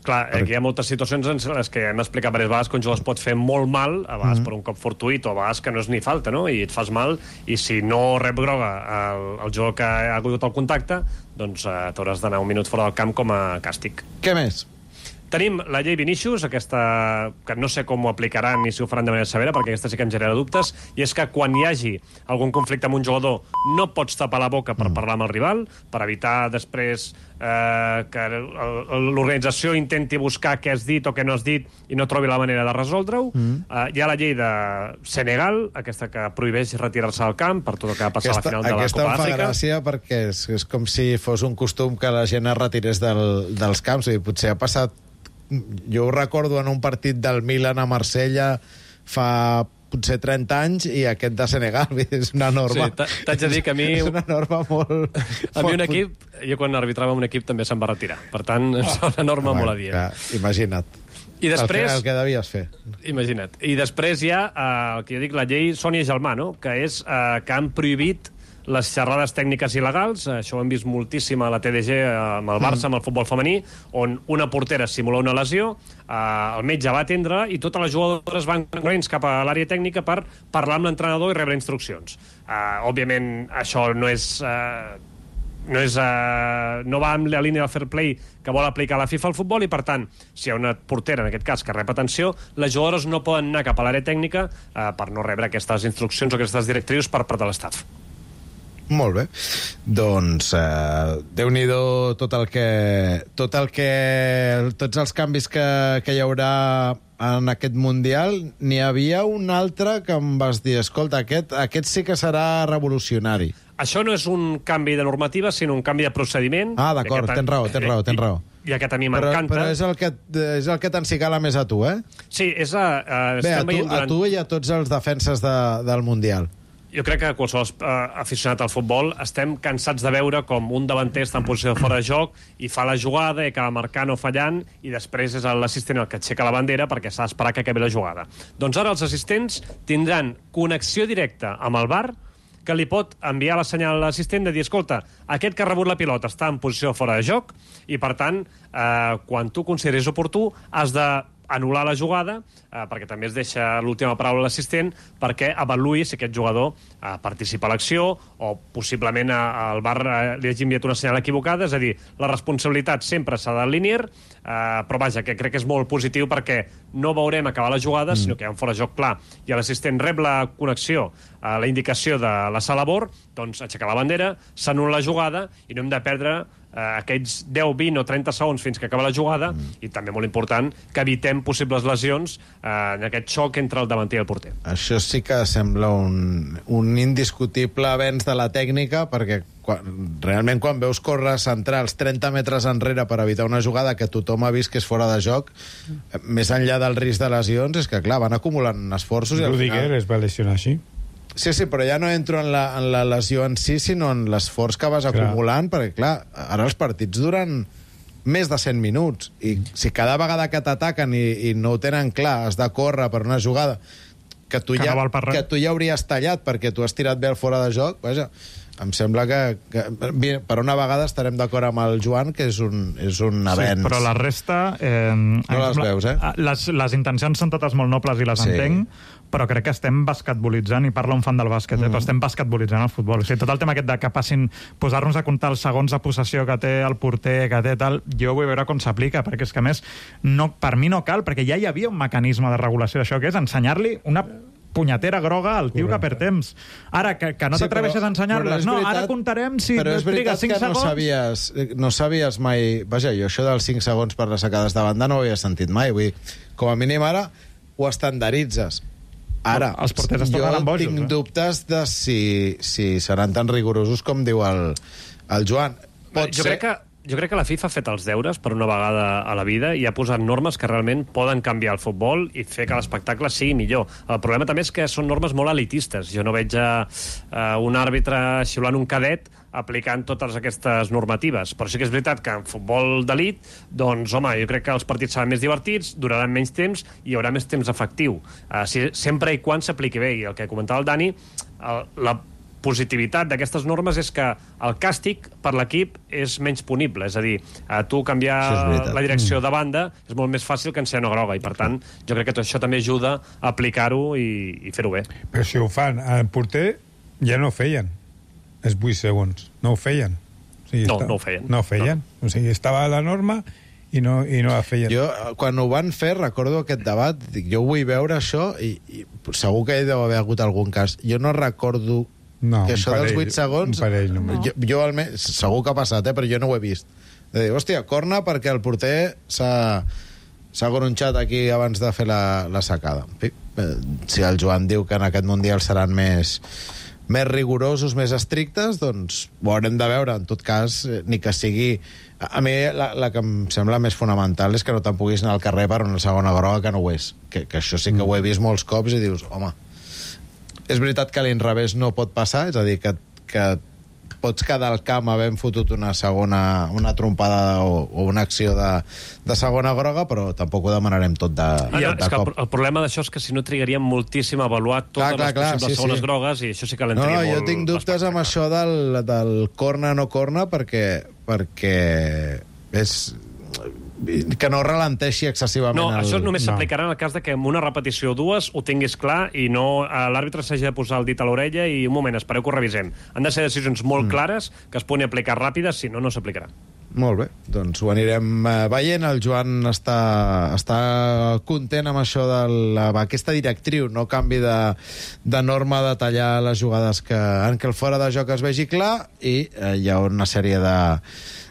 Clar, aquí hi ha moltes situacions en les que hem explicat diverses vegades que un jugador es pot fer molt mal, a vegades mm. per un cop fortuït o a vegades que no és ni falta, no? I et fas mal, i si no rep groga el, el jugador que ha hagut el contacte, doncs eh, t'hauràs d'anar un minut fora del camp com a càstig. Què més? Tenim la llei Vinícius, aquesta que no sé com ho aplicaran ni si ho faran de manera severa, perquè aquesta sí que em genera dubtes, i és que quan hi hagi algun conflicte amb un jugador no pots tapar la boca per mm. parlar amb el rival, per evitar després eh, que l'organització intenti buscar què has dit o què no has dit i no trobi la manera de resoldre-ho. Mm. Eh, hi ha la llei de Senegal, aquesta que prohibeix retirar-se del camp per tot el que va passar aquesta, a la final de la Copa d'Àfrica. Aquesta em fa gràcia perquè és, és com si fos un costum que la gent es retirés del, dels camps. I potser ha passat. Jo ho recordo en un partit del Milan a Marsella fa potser trenta anys i aquest de Senegal, és una norma. Sí, t'haig de dir que a mi... És una norma molt... A mi un equip, jo quan arbitrava un equip també se'n va retirar. Per tant, és una norma ah, molt adient. Clar, imagina't. I després... El que, el que devies fer. Imagina't. I després hi ha eh, el que jo dic, la llei Sònia Gelmà, no? Que és eh, que han prohibit les xerrades tècniques il·legals. Això ho hem vist moltíssim a la T D G amb el Barça, amb el futbol femení, on una portera simula una lesió, eh, el metge va atendre i totes les jugadores van corrents cap a l'àrea tècnica per parlar amb l'entrenador i rebre instruccions. Eh, òbviament, això no és... Eh, no, és, uh, no va amb la línia del fair play que vol aplicar la FIFA al futbol i, per tant, si hi ha una portera, en aquest cas, que rep atenció, les jugadores no poden anar cap a l'àrea tècnica uh, per no rebre aquestes instruccions o aquestes directrius per part de l'estaf. Molt bé. Doncs eh, Déu-n'hi-do tot el que tot el que tots els canvis que, que hi haurà en aquest Mundial. N'hi havia un altre que em vas dir, escolta, aquest, aquest sí que serà revolucionari. Això no és un canvi de normativa, sinó un canvi de procediment. Ah, d'acord, tens raó, tens raó, tens raó. I aquest a mi però, m'encanta. Però és el que, és el que t'encigala més a tu, eh? Sí, és a... Uh, Bé, a tu, durant... a tu i a tots els defenses de, del Mundial. Jo crec que qualsevol uh, aficionat al futbol estem cansats de veure com un davanter està en posició de fora de joc i fa la jugada i acaba marcant o fallant i després és l'assistent el que aixeca la bandera perquè s'ha d'esperar que acabi la jugada. Doncs ara els assistents tindran connexió directa amb el V A R que li pot enviar la senyal a l'assistent de dir, escolta, aquest que ha rebut la pilota està en posició de fora de joc i, per tant, eh, quan tu consideris oportú, has de anul·lar la jugada, eh, perquè també es deixa l'última paraula a l'assistent, perquè avaluï si aquest jugador eh, participa a l'acció o possiblement al V A R eh, li hagi enviat una senyal equivocada. És a dir, la responsabilitat sempre s'ha de linear, eh, però vaja, que crec que és molt positiu perquè no veurem acabar la jugada, mm. sinó que hi ha un fora de joc clar i l'assistent rep la connexió, eh, la indicació de la sala B O R, doncs aixecar la bandera, s'anul·la la jugada i no hem de perdre Uh, aquells deu, vint o trenta segons fins que acaba la jugada mm. i també molt important que evitem possibles lesions uh, en aquest xoc entre el davanter i el porter. Això sí que sembla un, un indiscutible avenç de la tècnica perquè quan, realment quan veus córrer centrals trenta metres enrere per evitar una jugada que tothom ha vist que és fora de joc, mm. més enllà del risc de lesions, és que clar, van acumulant esforços i al Rudiger final... es va lesionar així. Sí, sí, però ja no entro en la, en la lesió en si, sinó en l'esforç que vas clar. acumulant, perquè, clar, ara els partits duren més de cent minuts, i si cada vegada que t'ataquen i, i no ho tenen clar, has de córrer per una jugada que tu, que ja, no que tu ja hauries tallat perquè tu has tirat bé el fora de joc, vaja, em sembla que, que per una vegada estarem d'acord amb el Joan, que és un, és un avenç. Sí, però la resta... Eh, no les veus, eh? Les, les intencions són totes molt nobles i les sí. entenc, però crec que estem basquetbolitzant, i parla un fan del bàsquet, mm. eh, però estem basquetbolitzant el futbol. O sigui, tot el tema aquest de que passin, posar-nos a comptar els segons de possessió que té el porter, que té tal, jo vull veure com s'aplica, perquè és que, a més, no, per mi no cal, perquè ja hi havia un mecanisme de regulació d'això, que és ensenyar-li una punyetera groga al tio que perd temps. Ara, que, que no sí, t'atreveixes a ensenyar-les. No, ara comptarem si però és veritat cinc que segons. No sabies, no sabies mai... Vaja, jo això dels cinc segons per les sacades de banda no ho havia sentit mai. Vull dir, com a mínim ara ho estandarditzes. Ara, els porters es jo bojos, tinc eh? dubtes de si, si seran tan rigorosos com diu el, el Joan. Pot jo ser... crec que Jo crec que la FIFA ha fet els deures per una vegada a la vida i ha posat normes que realment poden canviar el futbol i fer que l'espectacle sigui millor. El problema també és que són normes molt elitistes. Jo no veig a, a un àrbitre xiulant un cadet aplicant totes aquestes normatives. Però sí que és veritat que en futbol d'elit, doncs, home, jo crec que els partits seran més divertits, duraran menys temps i hi haurà més temps efectiu. Uh, si, sempre i quan s'apliqui bé. I el que comentava el Dani, el, la positivitat d'aquestes normes és que el càstig per l'equip és menys punible, és a dir, a tu canviar la direcció de banda és molt més fàcil que ensenyar una groga, i per tant jo crec que tot això també ajuda a aplicar-ho i, i fer-ho bé. Però si ho fan, el porter ja no ho feien, els vuit segons, no ho feien. O sigui, no, està... no ho feien. No ho feien, no. O sigui, estava a la norma i no, i no la feien. Jo, quan ho van fer, recordo aquest debat, dic, jo vull veure això, i, i segur que hi deu haver hagut algun cas. Jo no recordo no, que això parell, dels vuit segons... Parell, no. jo, jo almenys, segur que ha passat, eh, però jo no ho he vist. De dir, hòstia, corna perquè el porter s'ha s'ha gronxat aquí abans de fer la, la sacada. En fi, eh, si el Joan diu que en aquest Mundial seran més... més rigorosos, més estrictes, doncs ho haurem de veure. En tot cas, eh, ni que sigui... A mi la, la que em sembla més fonamental és que no te'n puguis anar al carrer per una segona groga que no ho és. Que, que això sí que ho he vist molts cops i dius, home, és veritat que a l'inrevés no pot passar, és a dir, que, que pots quedar al camp havent fotut una segona, una trompada o, o una acció de, de segona groga, però tampoc ho demanarem tot de, ah, no, de és cop. Que el, el problema d'això és que si no trigaríem moltíssim a avaluar totes clar, clar, les clar, possibles sí, segones sí. grogues, i això sí que l'entraria no, no, molt... Jo tinc dubtes amb això del, del corna no corna perquè, perquè és... que no ralenteixi excessivament. No, el... això només no. s'aplicarà en el cas de que en una repetició o dues ho tinguis clar i no l'àrbitre s'hagi de posar el dit a l'orella i un moment, espereu que ho revisem. Han de ser decisions molt mm. clares que es puguin aplicar ràpides, si no, no s'aplicarà. Molt bé, doncs ho anirem veient. El Joan està, està content amb això d'aquesta directriu, no canvi de, de norma de tallar les jugades que, en què el fora de joc es vegi clar, i eh, hi ha una sèrie de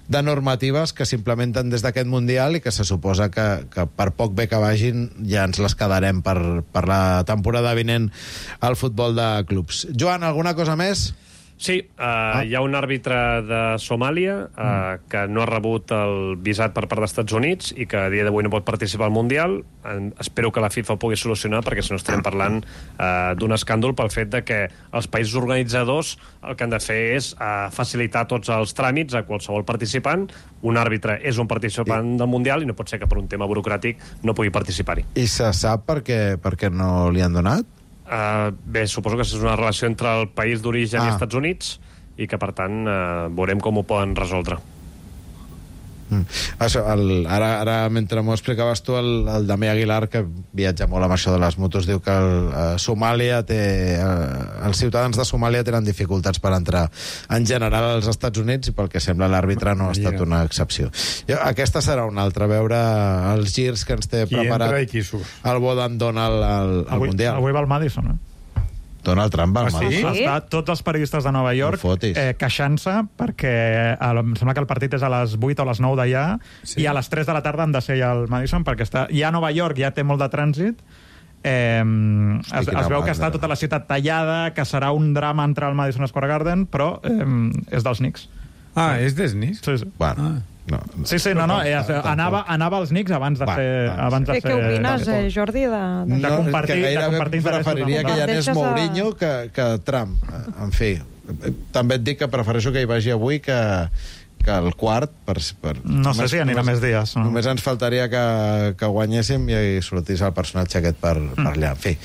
de normatives que s'implementen des d'aquest Mundial i que se suposa que, que per poc bé que vagin ja ens les quedarem per, per la temporada vinent al futbol de clubs. Joan, alguna cosa més? Sí, uh, ah. hi ha un àrbitre de Somàlia uh, mm. que no ha rebut el visat per part dels Estats Units i que a dia d'avui no pot participar al Mundial. En, espero que la FIFA ho pugui solucionar, perquè si no estarem parlant uh, d'un escàndol pel fet de que els països organitzadors el que han de fer és uh, facilitar tots els tràmits a qualsevol participant. Un àrbitre és un participant I... del Mundial i no pot ser que per un tema burocràtic no pugui participar-hi. I se sap per què, per què no li han donat? Uh, bé, suposo que és una relació entre el país d'origen ah. i els Estats Units i que, per tant, uh, veurem com ho poden resoldre. Mm. Això, el, ara, ara, mentre m'ho explicaves tu, el, el Damià Aguilar, que viatja molt amb això de les motos, diu que el, uh, Somàlia té... Uh, els ciutadans de Somàlia tenen dificultats per entrar en general als Estats Units i pel que sembla l'àrbitre no ha estat una excepció. Jo, aquesta serà una altra, veure els girs que ens té qui preparat el bo d'en Donald al, al avui, Mundial. Avui va al Madison, eh? Donald Trump va al ah, sí? Madison. Està tots els periodistes de Nova York eh, queixant-se perquè el, em sembla que el partit és a les vuit o a les nou d'allà sí. i a les tres de la tarda han de ser al Madison perquè està, ja a Nova York ja té molt de trànsit. Eh, es, es veu que està tota la ciutat tallada, que serà un drama entrar al Madison Square Garden, però eh, és dels Knicks. Ah, és dels Knicks? Sí, sí. Bueno... Ah. No, sí, sí, no, no, eh, anava, anava als Knicks abans de va, fer... Va, abans de fer... Què opines, eh, Jordi? De, de... No, compartir, que gairebé de compartir preferiria que hi anés Mourinho que, que Trump. En fi, també et dic que prefereixo que hi vagi avui que, que el quart. Per, per, no només, sé si anirà només, més dies. No? Només ens faltaria que, que guanyéssim i sortís el personatge aquest per, per allà. En fi.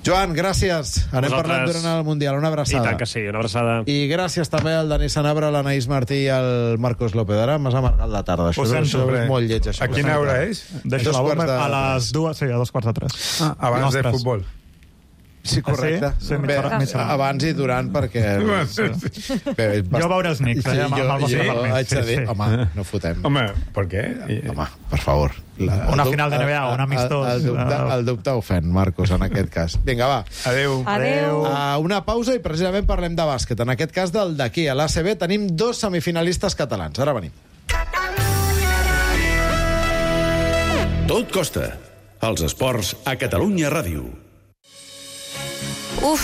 Joan, gràcies. Anem Vosaltres... parlant durant el Mundial. Una abraçada. I tant que sí, una abraçada. I gràcies també al Dani Sanabra, a l'Anaïs Martí i al Marcos López. Ara m'has amargat la tarda. Això, això és molt lleig. Això. A quina hora és? Deixa la bomba de... a les dues, sí, a dos quarts de tres. Ah, abans Nostres. de futbol. Sí, correcte. Sí? Sí, Bé, abans i durant, perquè... Sí. Bé, bast... Jo veure els Knicks. Sí, eh, jo, jo, jo haig de dir, sí, sí. home, no fotem. Home, per què? Home, per favor. La, una final de N B A, un amistós. El, el, dubte, el dubte ofèn, Marcos, en aquest cas. Vinga, va. Adéu. Adéu. Uh, una pausa i precisament parlem de bàsquet. En aquest cas del d'aquí. A l'A C B tenim dos semifinalistes catalans. Ara venim. Tot costa. Els esports a Catalunya Ràdio. Uf,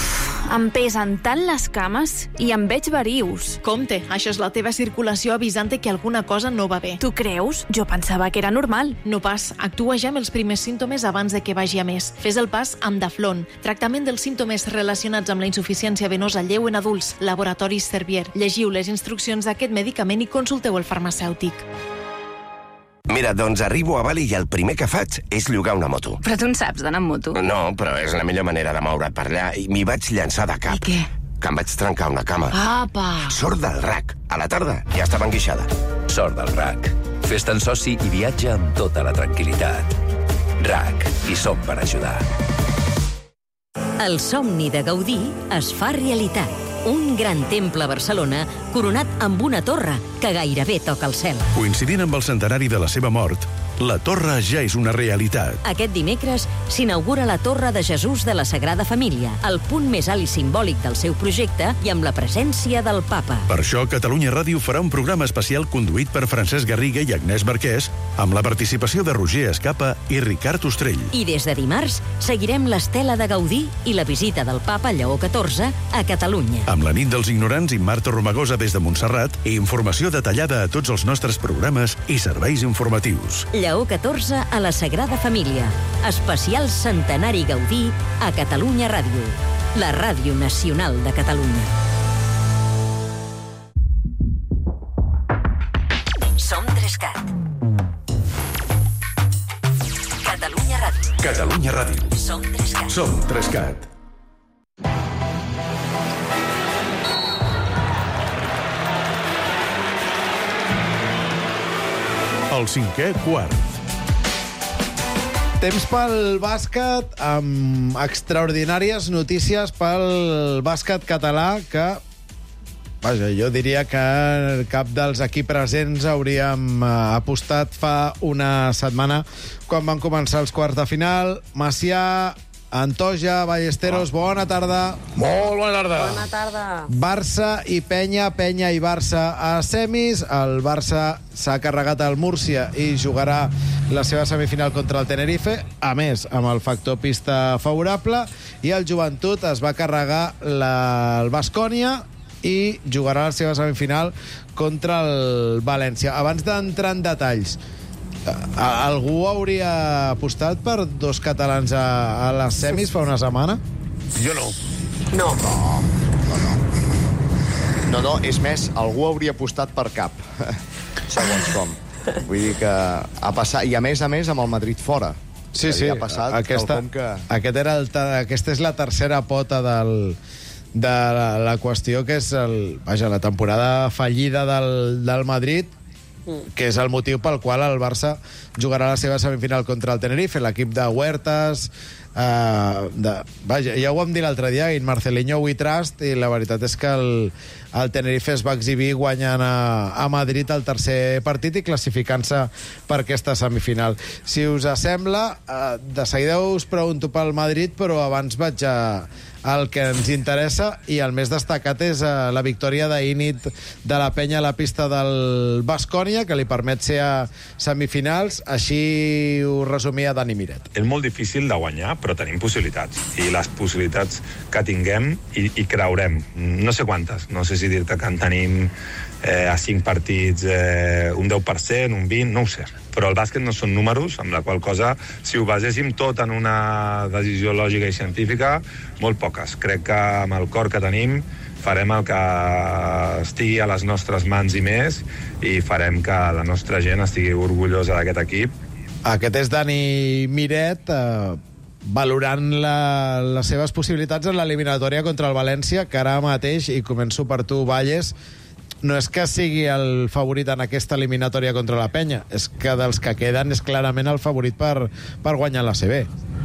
em pesen tant les cames i em veig verius. Compte, això és la teva circulació avisant que alguna cosa no va bé. Tu creus? Jo pensava que era normal. No pas, actua ja amb els primers símptomes abans de que vagi a més. Fes el pas amb Daflon, tractament dels símptomes relacionats amb la insuficiència venosa lleu en adults, Laboratoris Servier. Llegiu les instruccions d'aquest medicament i consulteu el farmacèutic. Mira, doncs arribo a Bali i el primer que faig és llogar una moto. Però tu en saps d'anar amb moto? No, però és la millor manera de moure't per allà i m'hi vaig llançar de cap. I què? que em vaig trencar una cama. Apa! Sort del R A C. A la tarda ja estava enguixada. Sort del R A C. Fes-te'n soci i viatja amb tota la tranquil·litat. R A C. Hi som per ajudar. El somni de Gaudí es fa realitat. Un gran temple a Barcelona coronat amb una torre que gairebé toca el cel. Coincidint amb el centenari de la seva mort, la torre ja és una realitat. Aquest dimecres s'inaugura la Torre de Jesús de la Sagrada Família, el punt més alt i simbòlic del seu projecte i amb la presència del papa. Per això, Catalunya Ràdio farà un programa especial conduït per Francesc Garriga i Agnès Marquès, amb la participació de Roger Escapa i Ricard Ostrell. I des de dimarts seguirem l'estela de Gaudí i la visita del papa Lleó catorze a Catalunya. Amb la nit dels ignorants i Marta Romagosa des de Montserrat i informació detallada a tots els nostres programes i serveis informatius. Lleó catorze a la Sagrada Família. Especial Centenari Gaudí a Catalunya Ràdio. La ràdio nacional de Catalunya. Som Trescat. Catalunya Ràdio. Catalunya Ràdio. Som Trescat. Som Trescat. El cinquè quart. Temps pel bàsquet, amb extraordinàries notícies pel bàsquet català que, vaja, jo diria que cap dels aquí presents hauríem apostat fa una setmana quan van començar els quarts de final. Macià, Antoja, Ballesteros, bona tarda. Molt bona tarda. Bona tarda. Barça i Penya, Penya i Barça a semis. El Barça s'ha carregat al Múrcia i jugarà la seva semifinal contra el Tenerife, a més, amb el factor pista favorable, i el Joventut es va carregar la, el Baskonia i jugarà la seva semifinal contra el València. Abans d'entrar en detalls, algú hauria apostat per dos catalans a, a les semis fa una setmana? Jo no. No. No, no, no. No, no, és més, algú hauria apostat per cap, segons com. Vull dir que ha passat, i a més a més amb el Madrid fora. Sí, sí, ha passat aquesta, que... aquest era el, aquesta és la tercera pota del, de la, la qüestió, que és el, vaja, la temporada fallida del, del Madrid, que és el motiu pel qual el Barça jugarà la seva semifinal contra el Tenerife, l'equip de Huertas, eh, de, vaja, ja ho vam dir l'altre dia, in Marcelinho we trust, i la veritat és que el, el Tenerife es va exhibir guanyant a, a Madrid el tercer partit i classificant-se per aquesta semifinal. Si us sembla, eh, de seguida us pregunto pel Madrid, però abans vaig a el que ens interessa, i el més destacat és uh, la victòria d'ahir nit de la Penya a la pista del Baskonia, que li permet ser a semifinals. Així ho resumia Dani Miret. És molt difícil de guanyar, però tenim possibilitats, i les possibilitats que tinguem i, i creurem, no sé quantes, no sé si dir-te que en tenim eh, a cinc partits eh, un deu per cent, un vint, no ho sé, però el bàsquet no són números, amb la qual cosa, si ho baséssim tot en una decisió lògica i científica, molt poques. Crec que amb el cor que tenim farem el que estigui a les nostres mans i més, i farem que la nostra gent estigui orgullosa d'aquest equip. Aquest és Dani Miret, eh, valorant la, les seves possibilitats en l'eliminatòria contra el València, que ara mateix, i començo per tu, Valles, no és que sigui el favorit en aquesta eliminatòria contra la Penya, és que dels que queden és clarament el favorit per, per guanyar la C B.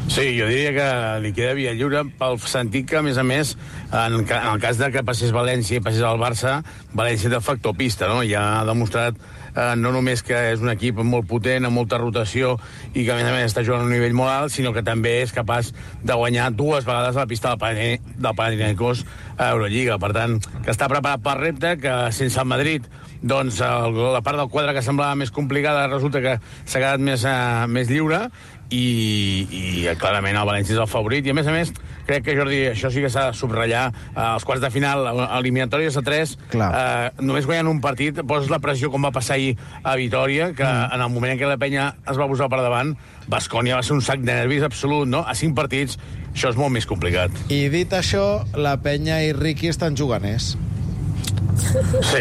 Sí, jo diria que li queda via lliure pel sentit que, a més a més, en, en el cas de que passés València i passés al Barça, València té el factor pista, no? Ja ha demostrat eh, no només que és un equip molt potent, amb molta rotació, i que, a més a més, està jugant a un nivell molt alt, sinó que també és capaç de guanyar dues vegades a la pista del Panathinaikos a Eurolliga. Per tant, que està preparat pel repte, que sense el Madrid, doncs el, la part del quadre que semblava més complicada resulta que s'ha quedat més, uh, més lliure, i, i clarament el València és el favorit, i a més a més crec que, Jordi, això sí que s'ha de subratllar, eh, els quarts de final, eliminatòries a tres, eh, només guanyant un partit poses la pressió, com va passar ahir a Vitòria, que mm. en el moment en què la Penya es va posar per davant, Baskonia va ser un sac de nervis absolut, no? A cinc partits això és molt més complicat. I dit això, la Penya i Riqui estan juganers. Sí,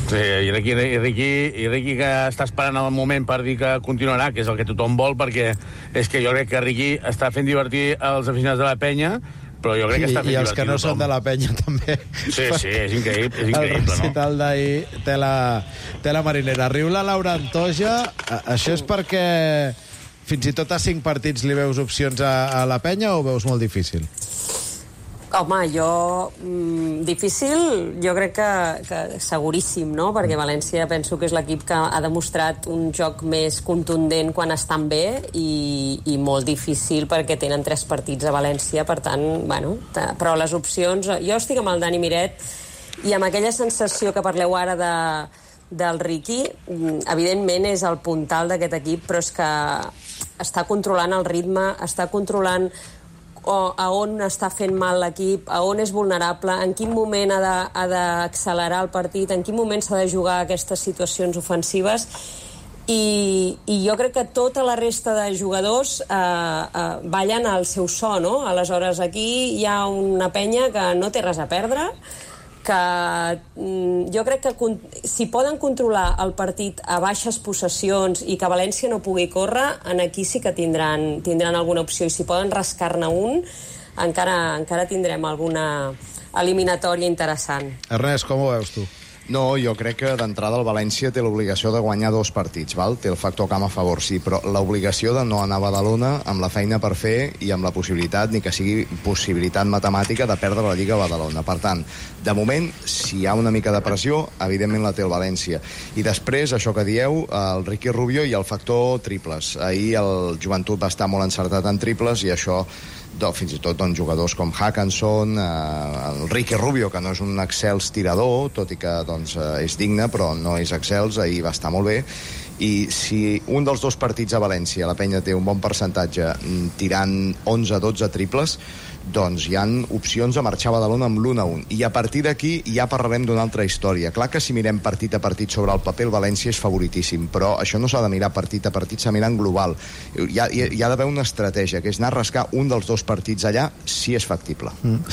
sí, i Riqui, i, Riqui, i Riqui que està esperant el moment per dir que continuarà, que és el que tothom vol, perquè és que jo crec que Riqui està fent divertir els aficionats de la Penya, però jo crec que està fent I els que no tothom. són de la penya també. Sí, sí, és increïble, és increïble, el no? recital d'ahir té la, té la marinera. Riu la Laura Antoja, això és perquè fins i tot a cinc partits li veus opcions a, a la penya o ho veus molt difícil? Home, jo... Mm, difícil, jo crec que, que seguríssim, no? Perquè València penso que és l'equip que ha demostrat un joc més contundent quan estan bé i, i molt difícil perquè tenen tres partits a València, per tant, bueno, però les opcions... Jo estic amb el Dani Miret i amb aquella sensació que parleu ara de, del Riqui, evidentment és el puntal d'aquest equip, però és que està controlant el ritme, està controlant o a on està fent mal l'equip, a on és vulnerable, en quin moment ha de, ha d'accelerar el partit, en quin moment s'ha de jugar aquestes situacions ofensives, i, i jo crec que tota la resta de jugadors eh, eh, ballen al seu so, no? Aleshores, aquí hi ha una penya que no té res a perdre, que mm, jo crec que si poden controlar el partit a baixes possessions i que València no pugui córrer, en aquí sí que tindran, tindran alguna opció, i si poden rascar-ne un, encara, encara tindrem alguna eliminatòria interessant. Ernest, com ho veus tu? No, jo crec que d'entrada el València té l'obligació de guanyar dos partits, val? Té el factor camp a favor, sí, però l'obligació de no anar a Badalona amb la feina per fer i amb la possibilitat, ni que sigui possibilitat matemàtica, de perdre la Lliga a Badalona. Per tant, de moment, si hi ha una mica de pressió, evidentment la té el València. I després, això que dieu, el Riqui Rubio i el factor triples. Ahir el Joventut va estar molt encertat en triples i això... fins i tot doncs, jugadors com Hackinson, eh, el Riqui Rubio, que no és un excels tirador, tot i que doncs, eh, és digne, però no és excels, ahir va estar molt bé. I si un dels dos partits a València, la penya té un bon percentatge tirant onze dotze triples, doncs hi han opcions a marxar a Badalona amb l'un a un. I a partir d'aquí ja parlarem d'una altra història. Clar que si mirem partit a partit sobre el paper, el València és favoritíssim, però això no s'ha de mirar partit a partit, s'ha de mirar en global. Hi ha, hi ha d'haver una estratègia, que és anar a rascar un dels dos partits allà, si és factible. Mm.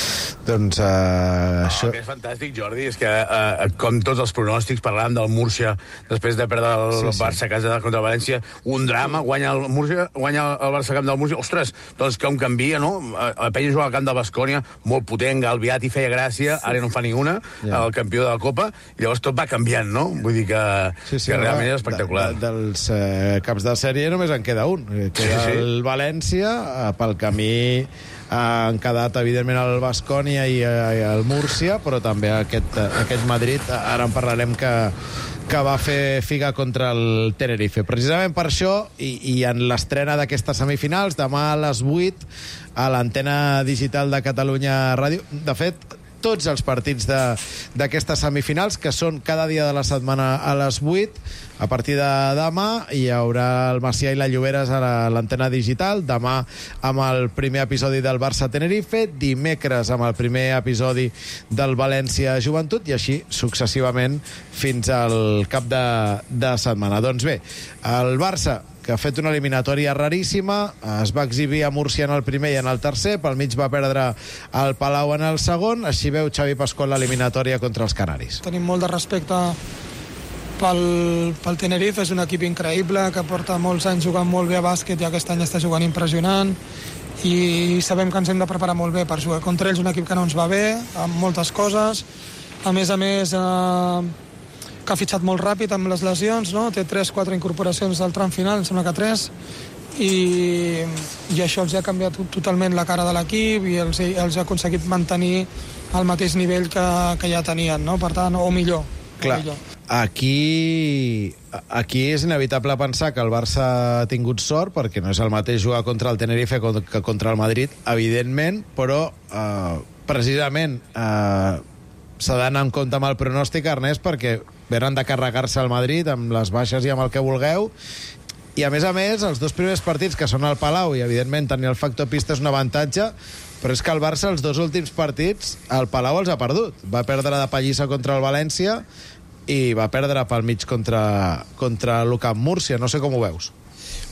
Doncs uh, no, això... El que és fantàstic, Jordi, és que uh, com tots els pronòstics, parlàvem del Múrcia després de perdre el sí, sí. Barça a casa contra el València, un drama, guanya el Múrcia, guanya el Barça camp del Múrcia, ostres, doncs com canvia, no? La penya juga al camp de Baskonia, molt potent, Galbiati feia gràcia, ara no en fa ni una, yeah. el campió de la Copa, i llavors tot va canviant, no? Vull dir que, sí, sí, que realment és espectacular. De, de, dels eh, caps de sèrie només en queda un, queda sí, sí. el València, eh, pel camí eh, han quedat, evidentment, el Baskonia i, eh, i el Múrcia, però també aquest, aquest Madrid, ara en parlarem, que que va fer figa contra el Tenerife. Precisament per això, i, i en l'estrena d'aquestes semifinals, demà a les vuit, a l'antena digital de Catalunya Ràdio, de fet, tots els partits d'aquestes semifinals, que són cada dia de la setmana a les vuit, a partir de demà hi haurà el Macià i la Lloberes a l'antena digital, demà amb el primer episodi del Barça-Tenerife, dimecres amb el primer episodi del València-Joventut, i així successivament fins al cap de, de setmana. Doncs bé, el Barça, que ha fet una eliminatòria raríssima, es va exhibir a Múrcia en el primer i en el tercer, pel mig va perdre el Palau en el segon, així veu Xavi Pascual l'eliminatòria contra els Canaris. Tenim molt de respecte pel, pel Tenerife, és un equip increïble, que porta molts anys jugant molt bé a bàsquet i aquest any està jugant impressionant, i sabem que ens hem de preparar molt bé per jugar contra ells, un equip que no ens va bé, amb moltes coses, a més a més... Eh, que ha fitxat molt ràpid amb les lesions, no? Té tres quatre incorporacions del tram final, em sembla que tres, i, i això els ha canviat totalment la cara de l'equip i els, els ha aconseguit mantenir al mateix nivell que, que ja tenien, no? Per tant, o millor. Clar, o millor. Aquí, aquí és inevitable pensar que el Barça ha tingut sort, perquè no és el mateix jugar contra el Tenerife que contra el Madrid, evidentment, però eh, precisament eh, s'ha d'anar en compte amb el pronòstic, Ernest, perquè venen de carregar-se al Madrid amb les baixes i amb el que vulgueu, i a més a més els dos primers partits, que són al Palau, i evidentment tenir el factor pista és un avantatge, però és que el Barça els dos últims partits al Palau els ha perdut. Va perdre de pallissa contra el València i va perdre pel mig contra, contra l'U-Camp Múrcia. No sé com ho veus.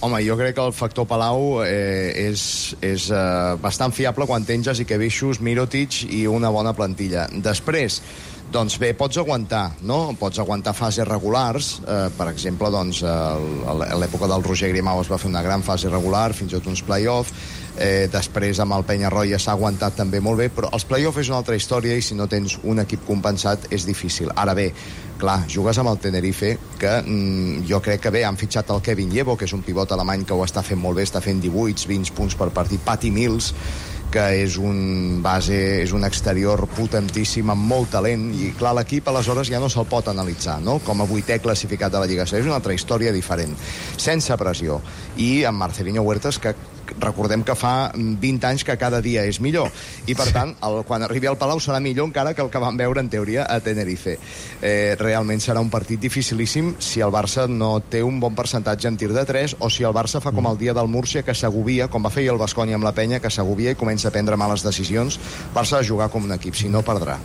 Home, jo crec que el factor Palau eh, és, és eh, bastant fiable quan tens Jasikevičius, Mirotic i una bona plantilla. Després, doncs bé, pots aguantar, no? Pots aguantar fases regulars. Eh, per exemple, doncs, a l'època del Roger Grimau es va fer una gran fase regular, fins i tot uns play-off. eh, després amb el Peñarroya s'ha aguantat també molt bé, però els play-off és una altra història i si no tens un equip compensat és difícil. Ara bé, clar, jugues amb el Tenerife, que mm, jo crec que bé, han fitxat el Kevin Llevo, que és un pivot alemany que ho està fent molt bé, està fent divuit vint punts per partit. Patty Mills, que és un base, és un exterior potentíssim, amb molt talent, i clar, l'equip aleshores ja no se'l pot analitzar, no?, com a vuitè classificat de la Lliga. És una altra història diferent, sense pressió. I amb Marcelinho Huertas, que recordem que fa vint anys que cada dia és millor, i per tant, el, quan arribi al Palau serà millor encara que el que vam veure en teoria a Tenerife. Eh, realment serà un partit dificilíssim si el Barça no té un bon percentatge en tir de tres, o si el Barça fa com el dia del Múrcia, que s'agobia, com va fer el Baskonia amb la Penya, que s'agobia i comença a prendre males decisions. Barça ha de jugar com un equip, si no perdrà.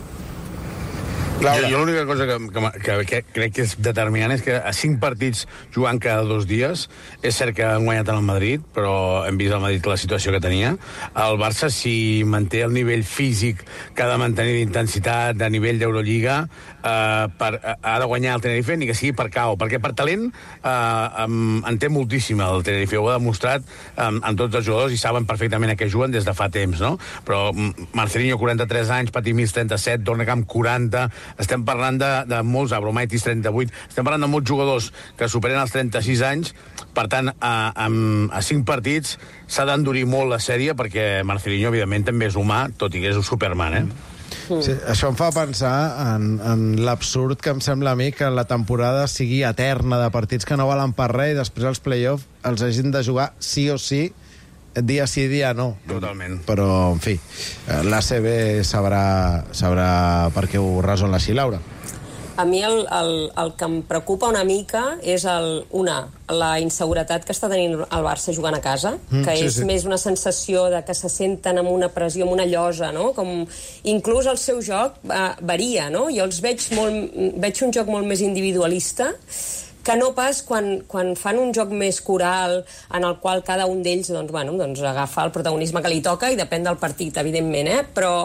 Jo, jo l'única cosa que, que, que crec que és determinant és que a cinc partits jugant cada dos dies, és cert que han guanyat el Madrid, però hem vist al Madrid la situació que tenia. El Barça, si manté el nivell físic que ha de mantenir d'intensitat, de nivell d'Eurolliga, eh, per, ha de guanyar el Tenerife, ni que sigui per K O, perquè per talent eh, en té moltíssim el Tenerife, ho ha demostrat en, en tots els jugadors i saben perfectament a què juguen des de fa temps, no? Però Marcelinho, quaranta-tres anys, Patty Mills, trenta-set, Dornecamp, quaranta... Estem parlant de, de molts, Abromaitis, trenta-vuit, estem parlant de molts jugadors que superen els trenta-sis anys, per tant, a, a, a cinc partits s'ha d'endurir molt la sèrie, perquè Marcelinho, evidentment, també és humà, tot i que és un Superman, eh? Sí, això em fa pensar en, en l'absurd que em sembla a mi que la temporada sigui eterna de partits que no valen per res i després els play-off els hagin de jugar sí o sí, dia sí, dia no. Totalment. Però, en fi, l'A C B sabrà, sabrà per què ho resol així, Laura. A mi el, el, el que em preocupa una mica és el, una, la inseguretat que està tenint el Barça jugant a casa, Mm, que sí, és sí. més una sensació de que se senten amb una pressió, amb una llosa, no? Com, inclús el seu joc eh, varia, no? Jo els veig, molt, veig un joc molt més individualista, que no pas quan, quan fan un joc més coral en el qual cada un d'ells doncs, bueno, doncs agafa el protagonisme que li toca i depèn del partit, evidentment, eh? Però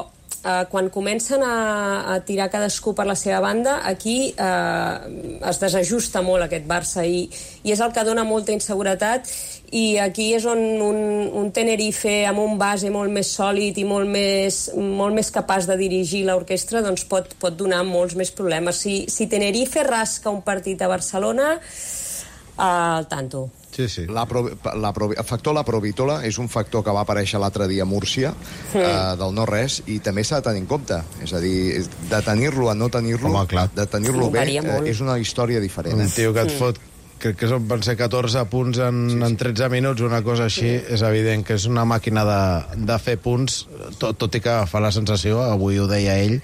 eh, quan comencen a, a tirar cadascú per la seva banda, aquí eh, es desajusta molt aquest Barça i, i és el que dona molta inseguretat, i aquí és on un, un Tenerife amb un base molt més sòlid i molt més, molt més capaç de dirigir l'orquestra doncs pot, pot donar molts més problemes. Si, si Tenerife rasca un partit a Barcelona, eh, al tanto. Sí, sí. La pro, la pro, el factor la Provitola és un factor que va aparèixer l'altre dia a Múrcia, sí. eh, del no-res, i també s'ha de tenir en compte. És a dir, de tenir-lo a no tenir-lo, de tenir-lo bé, eh, és una història diferent. Un Eh? tio que et fot, crec que són, van ser catorze punts en, sí, sí. en tretze minuts, una cosa així, sí. És evident que és una màquina de, de fer punts, tot, tot i que fa la sensació, avui ho deia ell,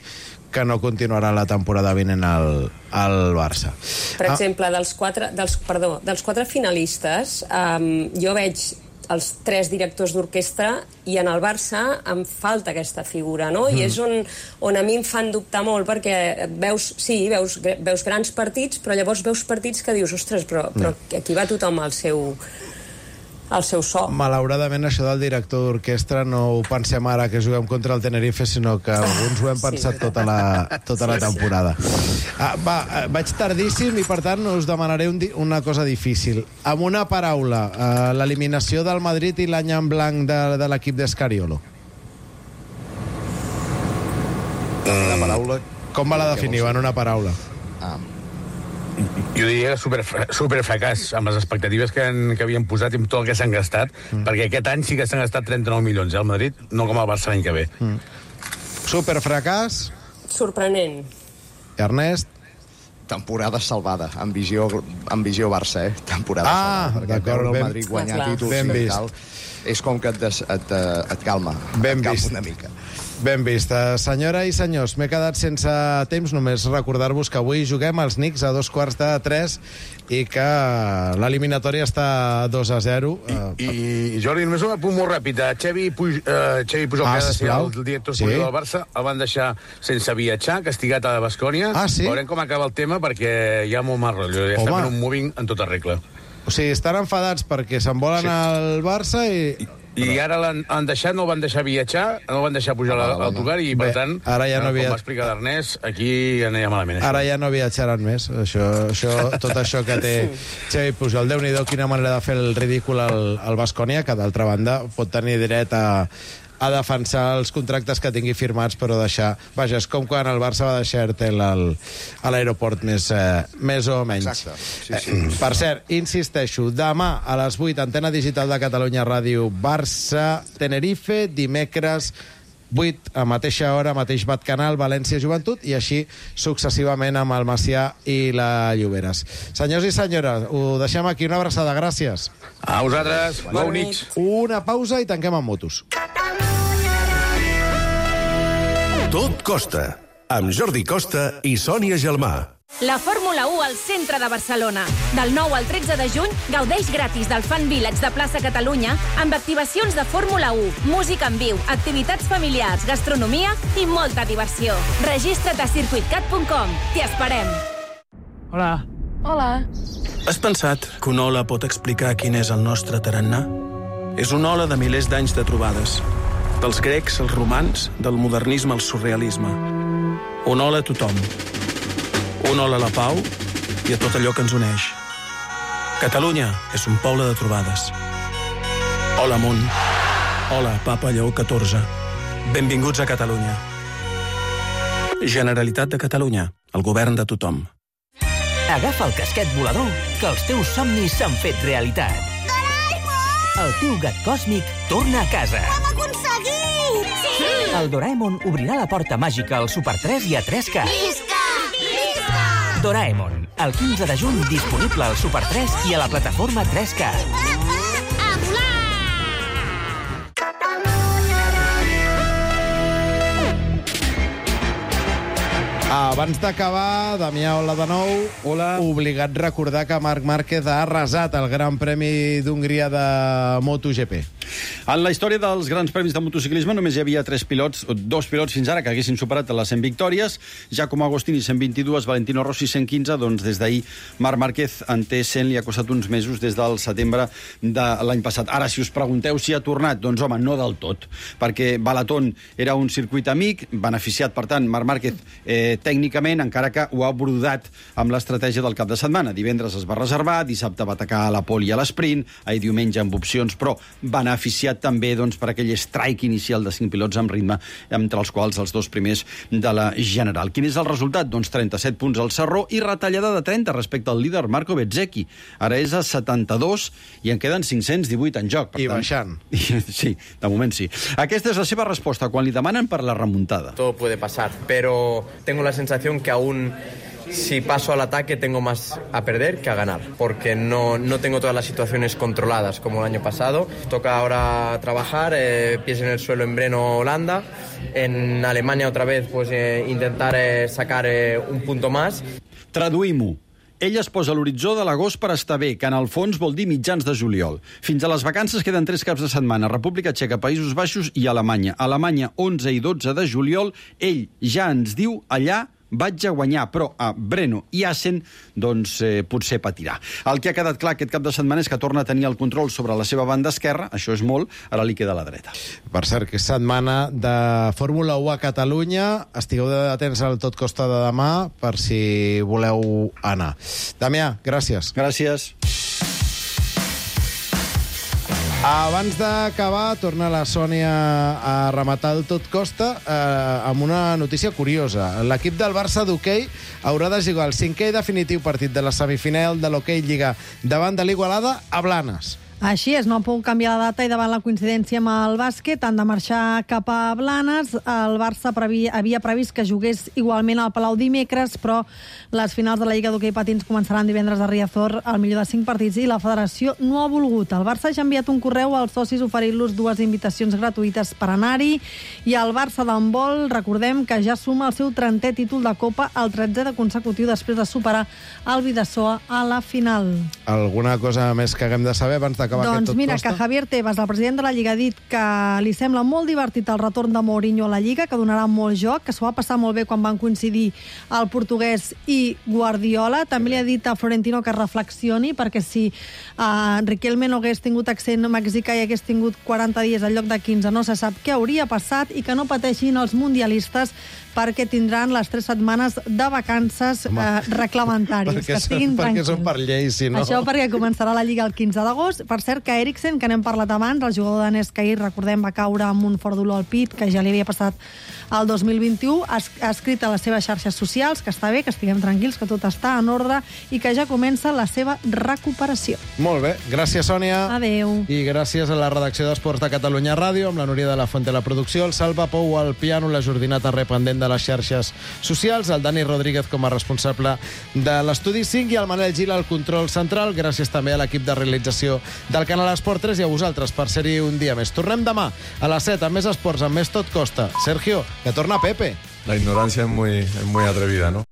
que no continuarà la temporada vinent al, al Barça. Per exemple, dels quatre, dels, perdó, dels quatre finalistes, um, jo veig els tres directors d'orquestra i en el Barça em falta aquesta figura, no? Mm. I és on, on a mi em fan dubtar molt, perquè veus, sí, veus, veus grans partits, però llavors veus partits que dius, ostres, però, però no. Aquí va tothom al seu, al seu so. Malauradament, això del director d'orquestra no ho pensem ara que juguem contra el Tenerife, sinó que alguns ho hem pensat sí, tota la, tota la temporada. Ah, va, vaig tardíssim i, per tant, us demanaré un, una cosa difícil. Amb una paraula, eh, l'eliminació del Madrid i l'any en blanc de, de l'equip d'Escariolo. Mm. La paraula... Com va la definiu en una paraula? Ah. Jo diria que super, super fracàs amb les expectatives que, han, que havien posat i amb tot el que s'han gastat, mm. perquè aquest any sí que s'han gastat trenta-nou milions eh, al Madrid, no com al Barça l'any que ve. Mm. Super fracàs. Sorprenent. Ernest? Temporada salvada, amb visió, amb visió Barça, eh? Temporada ah, salvada. Perquè veure el Madrid guanyar ah, títols ben i vist. tal, és com que et, des, et, et calma. Ben et calma vist. una mica. Ben vist. Senyora i senyors, m'he quedat sense temps, només recordar-vos que avui juguem als Knicks a dos quarts de tres i que l'eliminatòria està dos a zero. I, i Jordi, només un apunt molt ràpid. Xavi, Puj, uh, Xavi Pujol, ah, que ha de ser el director esportiu sí. del Barça, el van deixar sense viatjar, castigat a Baskonia. Ah, sí? Veurem com acaba el tema, perquè hi ha molt mal rotllo. Ja està fent un moving en tota regla. O sigui, estan enfadats perquè se'n volen sí. al Barça i... I ara l'han han deixat, no el van deixar viatjar, no el van deixar pujar a l'autocar i, per Bé, tant, ara ja no com via- va explicar l'Ernest, aquí anirà malament. Ara ja no viatjaran més. Això, això, tot això que té Xavi Pujol. Déu-n'hi-do, quina manera de fer el ridícul al, al Baskonia, que d'altra banda pot tenir dret a, a defensar els contractes que tingui firmats, però deixar... Vaja, és com quan el Barça va deixar Ertel al, a l'aeroport més, eh, més o menys. Exacte. Sí, sí. Eh, per cert, insisteixo, demà a les vuit, Antena Digital de Catalunya Ràdio, Barça, Tenerife, dimecres vuit, a mateixa hora, mateix Bat Canal, València Joventut, i així successivament amb el Macià i la Lloberes. Senyors i senyores, ho deixem aquí. Una abraçada, gràcies. A vosaltres, bona nit. Una pausa i tanquem amb motos. Tot costa, amb Jordi Costa i Sònia Gelmà. La Fórmula u al centre de Barcelona. Del nou al tretze de juny, gaudeix gratis del Fan Village de Plaça Catalunya amb activacions de Fórmula u, música en viu, activitats familiars, gastronomia i molta diversió. Registra't a circuit cat punt com. T'hi esperem. Hola. Hola. Has pensat que una ola pot explicar quin és el nostre tarannà? És una ola de milers d'anys de trobades. Dels grecs als romans, del modernisme al surrealisme. Una ola a tothom. Una ola a la pau i a tot allò que ens uneix. Catalunya és un poble de trobades. Hola, amunt. Hola, Papa Lleó catorze. Benvinguts a Catalunya. Generalitat de Catalunya, el govern de tothom. Agafa el casquet volador, que els teus somnis s'han fet realitat. Doraemon! El teu gat còsmic torna a casa. Ho hem aconseguit! Sí! El Doraemon obrirà la porta màgica al Super tres i a tres K. Visca! Visca! Doraemon, el quinze de juny, disponible al Super tres i a la plataforma tres K. A volar! Abans d'acabar, Damià, hola de nou. Hola. Obligat a recordar que Marc Márquez ha arrasat el Gran Premi d'Hongria de MotoGP. En la història dels grans premis de motociclisme només hi havia tres pilots, dos pilots fins ara que haguessin superat les cent victòries. Giacomo Agostini, cent vint-i-dos, Valentino Rossi, cent quinze. Doncs des d'ahir Marc Márquez en té cent, li ha costat uns mesos des del setembre de l'any passat. Ara, si us pregunteu si ha tornat, doncs home, no del tot, perquè Balaton era un circuit amic, beneficiat, per tant, Marc Márquez eh, tècnicament, encara que ho ha brodat amb l'estratègia del cap de setmana. Divendres es va reservar, dissabte va atacar a la pole i a l'esprint, ahir diumenge amb opcions, però beneficiat també doncs, per aquell strike inicial de cinc pilots amb ritme, entre els quals els dos primers de la general. Quin és el resultat? Doncs trenta-set punts al Sarró i retallada de trenta respecte al líder Marco Bezzecchi. Ara és a setanta-dos i en queden cinc-cents divuit en joc. Per I tant, baixant. Sí, de moment sí. Aquesta és la seva resposta quan li demanen per la remuntada. Todo puede pasar, pero tengo la sensación que aún si paso al ataque tengo más a perder que a ganar, porque no, no tengo todas las situaciones controladas como el año pasado. Toca ahora trabajar, eh, pies en el suelo en Breno, Holanda. En Alemania otra vez pues eh, intentar eh, sacar eh, un punto más. Traduïm-ho. Ell es posa a l'horitzó de l'agost per estar bé, que en el fons vol dir mitjans de juliol. Fins a les vacances queden tres caps de setmana. República Txeca, Països Baixos i Alemanya. Alemanya, onze i dotze de juliol. Ell ja ens diu allà vaig a guanyar, però a Breno i Assen doncs eh, potser patirà. El que ha quedat clar aquest cap de setmana és que torna a tenir el control sobre la seva banda esquerra, això és molt, ara li queda la dreta. Per cert, que és setmana de Fórmula u a Catalunya. Estigueu atents al Tot Costa de demà per si voleu anar. Damià, gràcies. Gràcies. Abans d'acabar, torna la Sònia a rematar el Tot Costa eh, amb una notícia curiosa. L'equip del Barça d'hoquei haurà de jugar el cinquè i definitiu partit de la semifinal de l'Hoquei Lliga davant de l'Igualada a Blanes. Així és, no han pogut canviar la data i davant la coincidència amb el bàsquet han de marxar cap a Blanes. El Barça previ, havia previst que jugués igualment al Palau dimecres, però les finals de la Lliga d'Hoquei Patins començaran divendres a Riazor, al millor de cinc partits, i la federació no ha volgut. El Barça ja ha enviat un correu als socis oferint-los dues invitacions gratuïtes per anar-hi, i el Barça d'handbol, recordem que ja suma el seu trentè títol de Copa, el tretzè de consecutiu després de superar el Bidasoa a la final. Alguna cosa més que haguem de saber abans de d'acabar doncs aquest tot mira, costa? que Javier Tebas, el president de la Lliga, ha dit que li sembla molt divertit el retorn de Mourinho a la Lliga, que donarà molt joc, que s'ho va passar molt bé quan van coincidir el portuguès i Guardiola. També li ha dit a Florentino que reflexioni, perquè si uh, Riquelme no hagués tingut accent mexicà i hagués tingut quaranta dies al lloc de quinze, no se sap què hauria passat, i que no pateixin els mundialistes perquè tindran les tres setmanes de vacances eh, reglamentàries, que estiguin perquè tranquils. són per llei, si no... Això perquè començarà la Lliga el quinze d'agost. Per cert, que Eriksen, que n'hem parlat abans, el jugador danès que ahir, recordem, va caure amb un fort dolor al pit, que ja li havia passat el dos mil vint-i-u, ha, ha escrit a les seves xarxes socials que està bé, que estiguem tranquils, que tot està en ordre i que ja comença la seva recuperació. Molt bé, gràcies, Sònia. Adéu. I gràcies a la redacció d'Esports de Catalunya Ràdio, amb la Núria de la Fuente a la producció, el Salva Pou al piano, la Jordinata Rependent de les xarxes socials, el Dani Rodríguez com a responsable de l'Estudi cinc i el Manel Gil al control central. Gràcies també a l'equip de realització del canal Esport tres i a vosaltres per ser-hi un dia més. Tornem demà a les set amb més esports, amb més Tot Costa. Sergio, que torna Pepe. La ignorancia es muy, es muy atrevida, ¿no?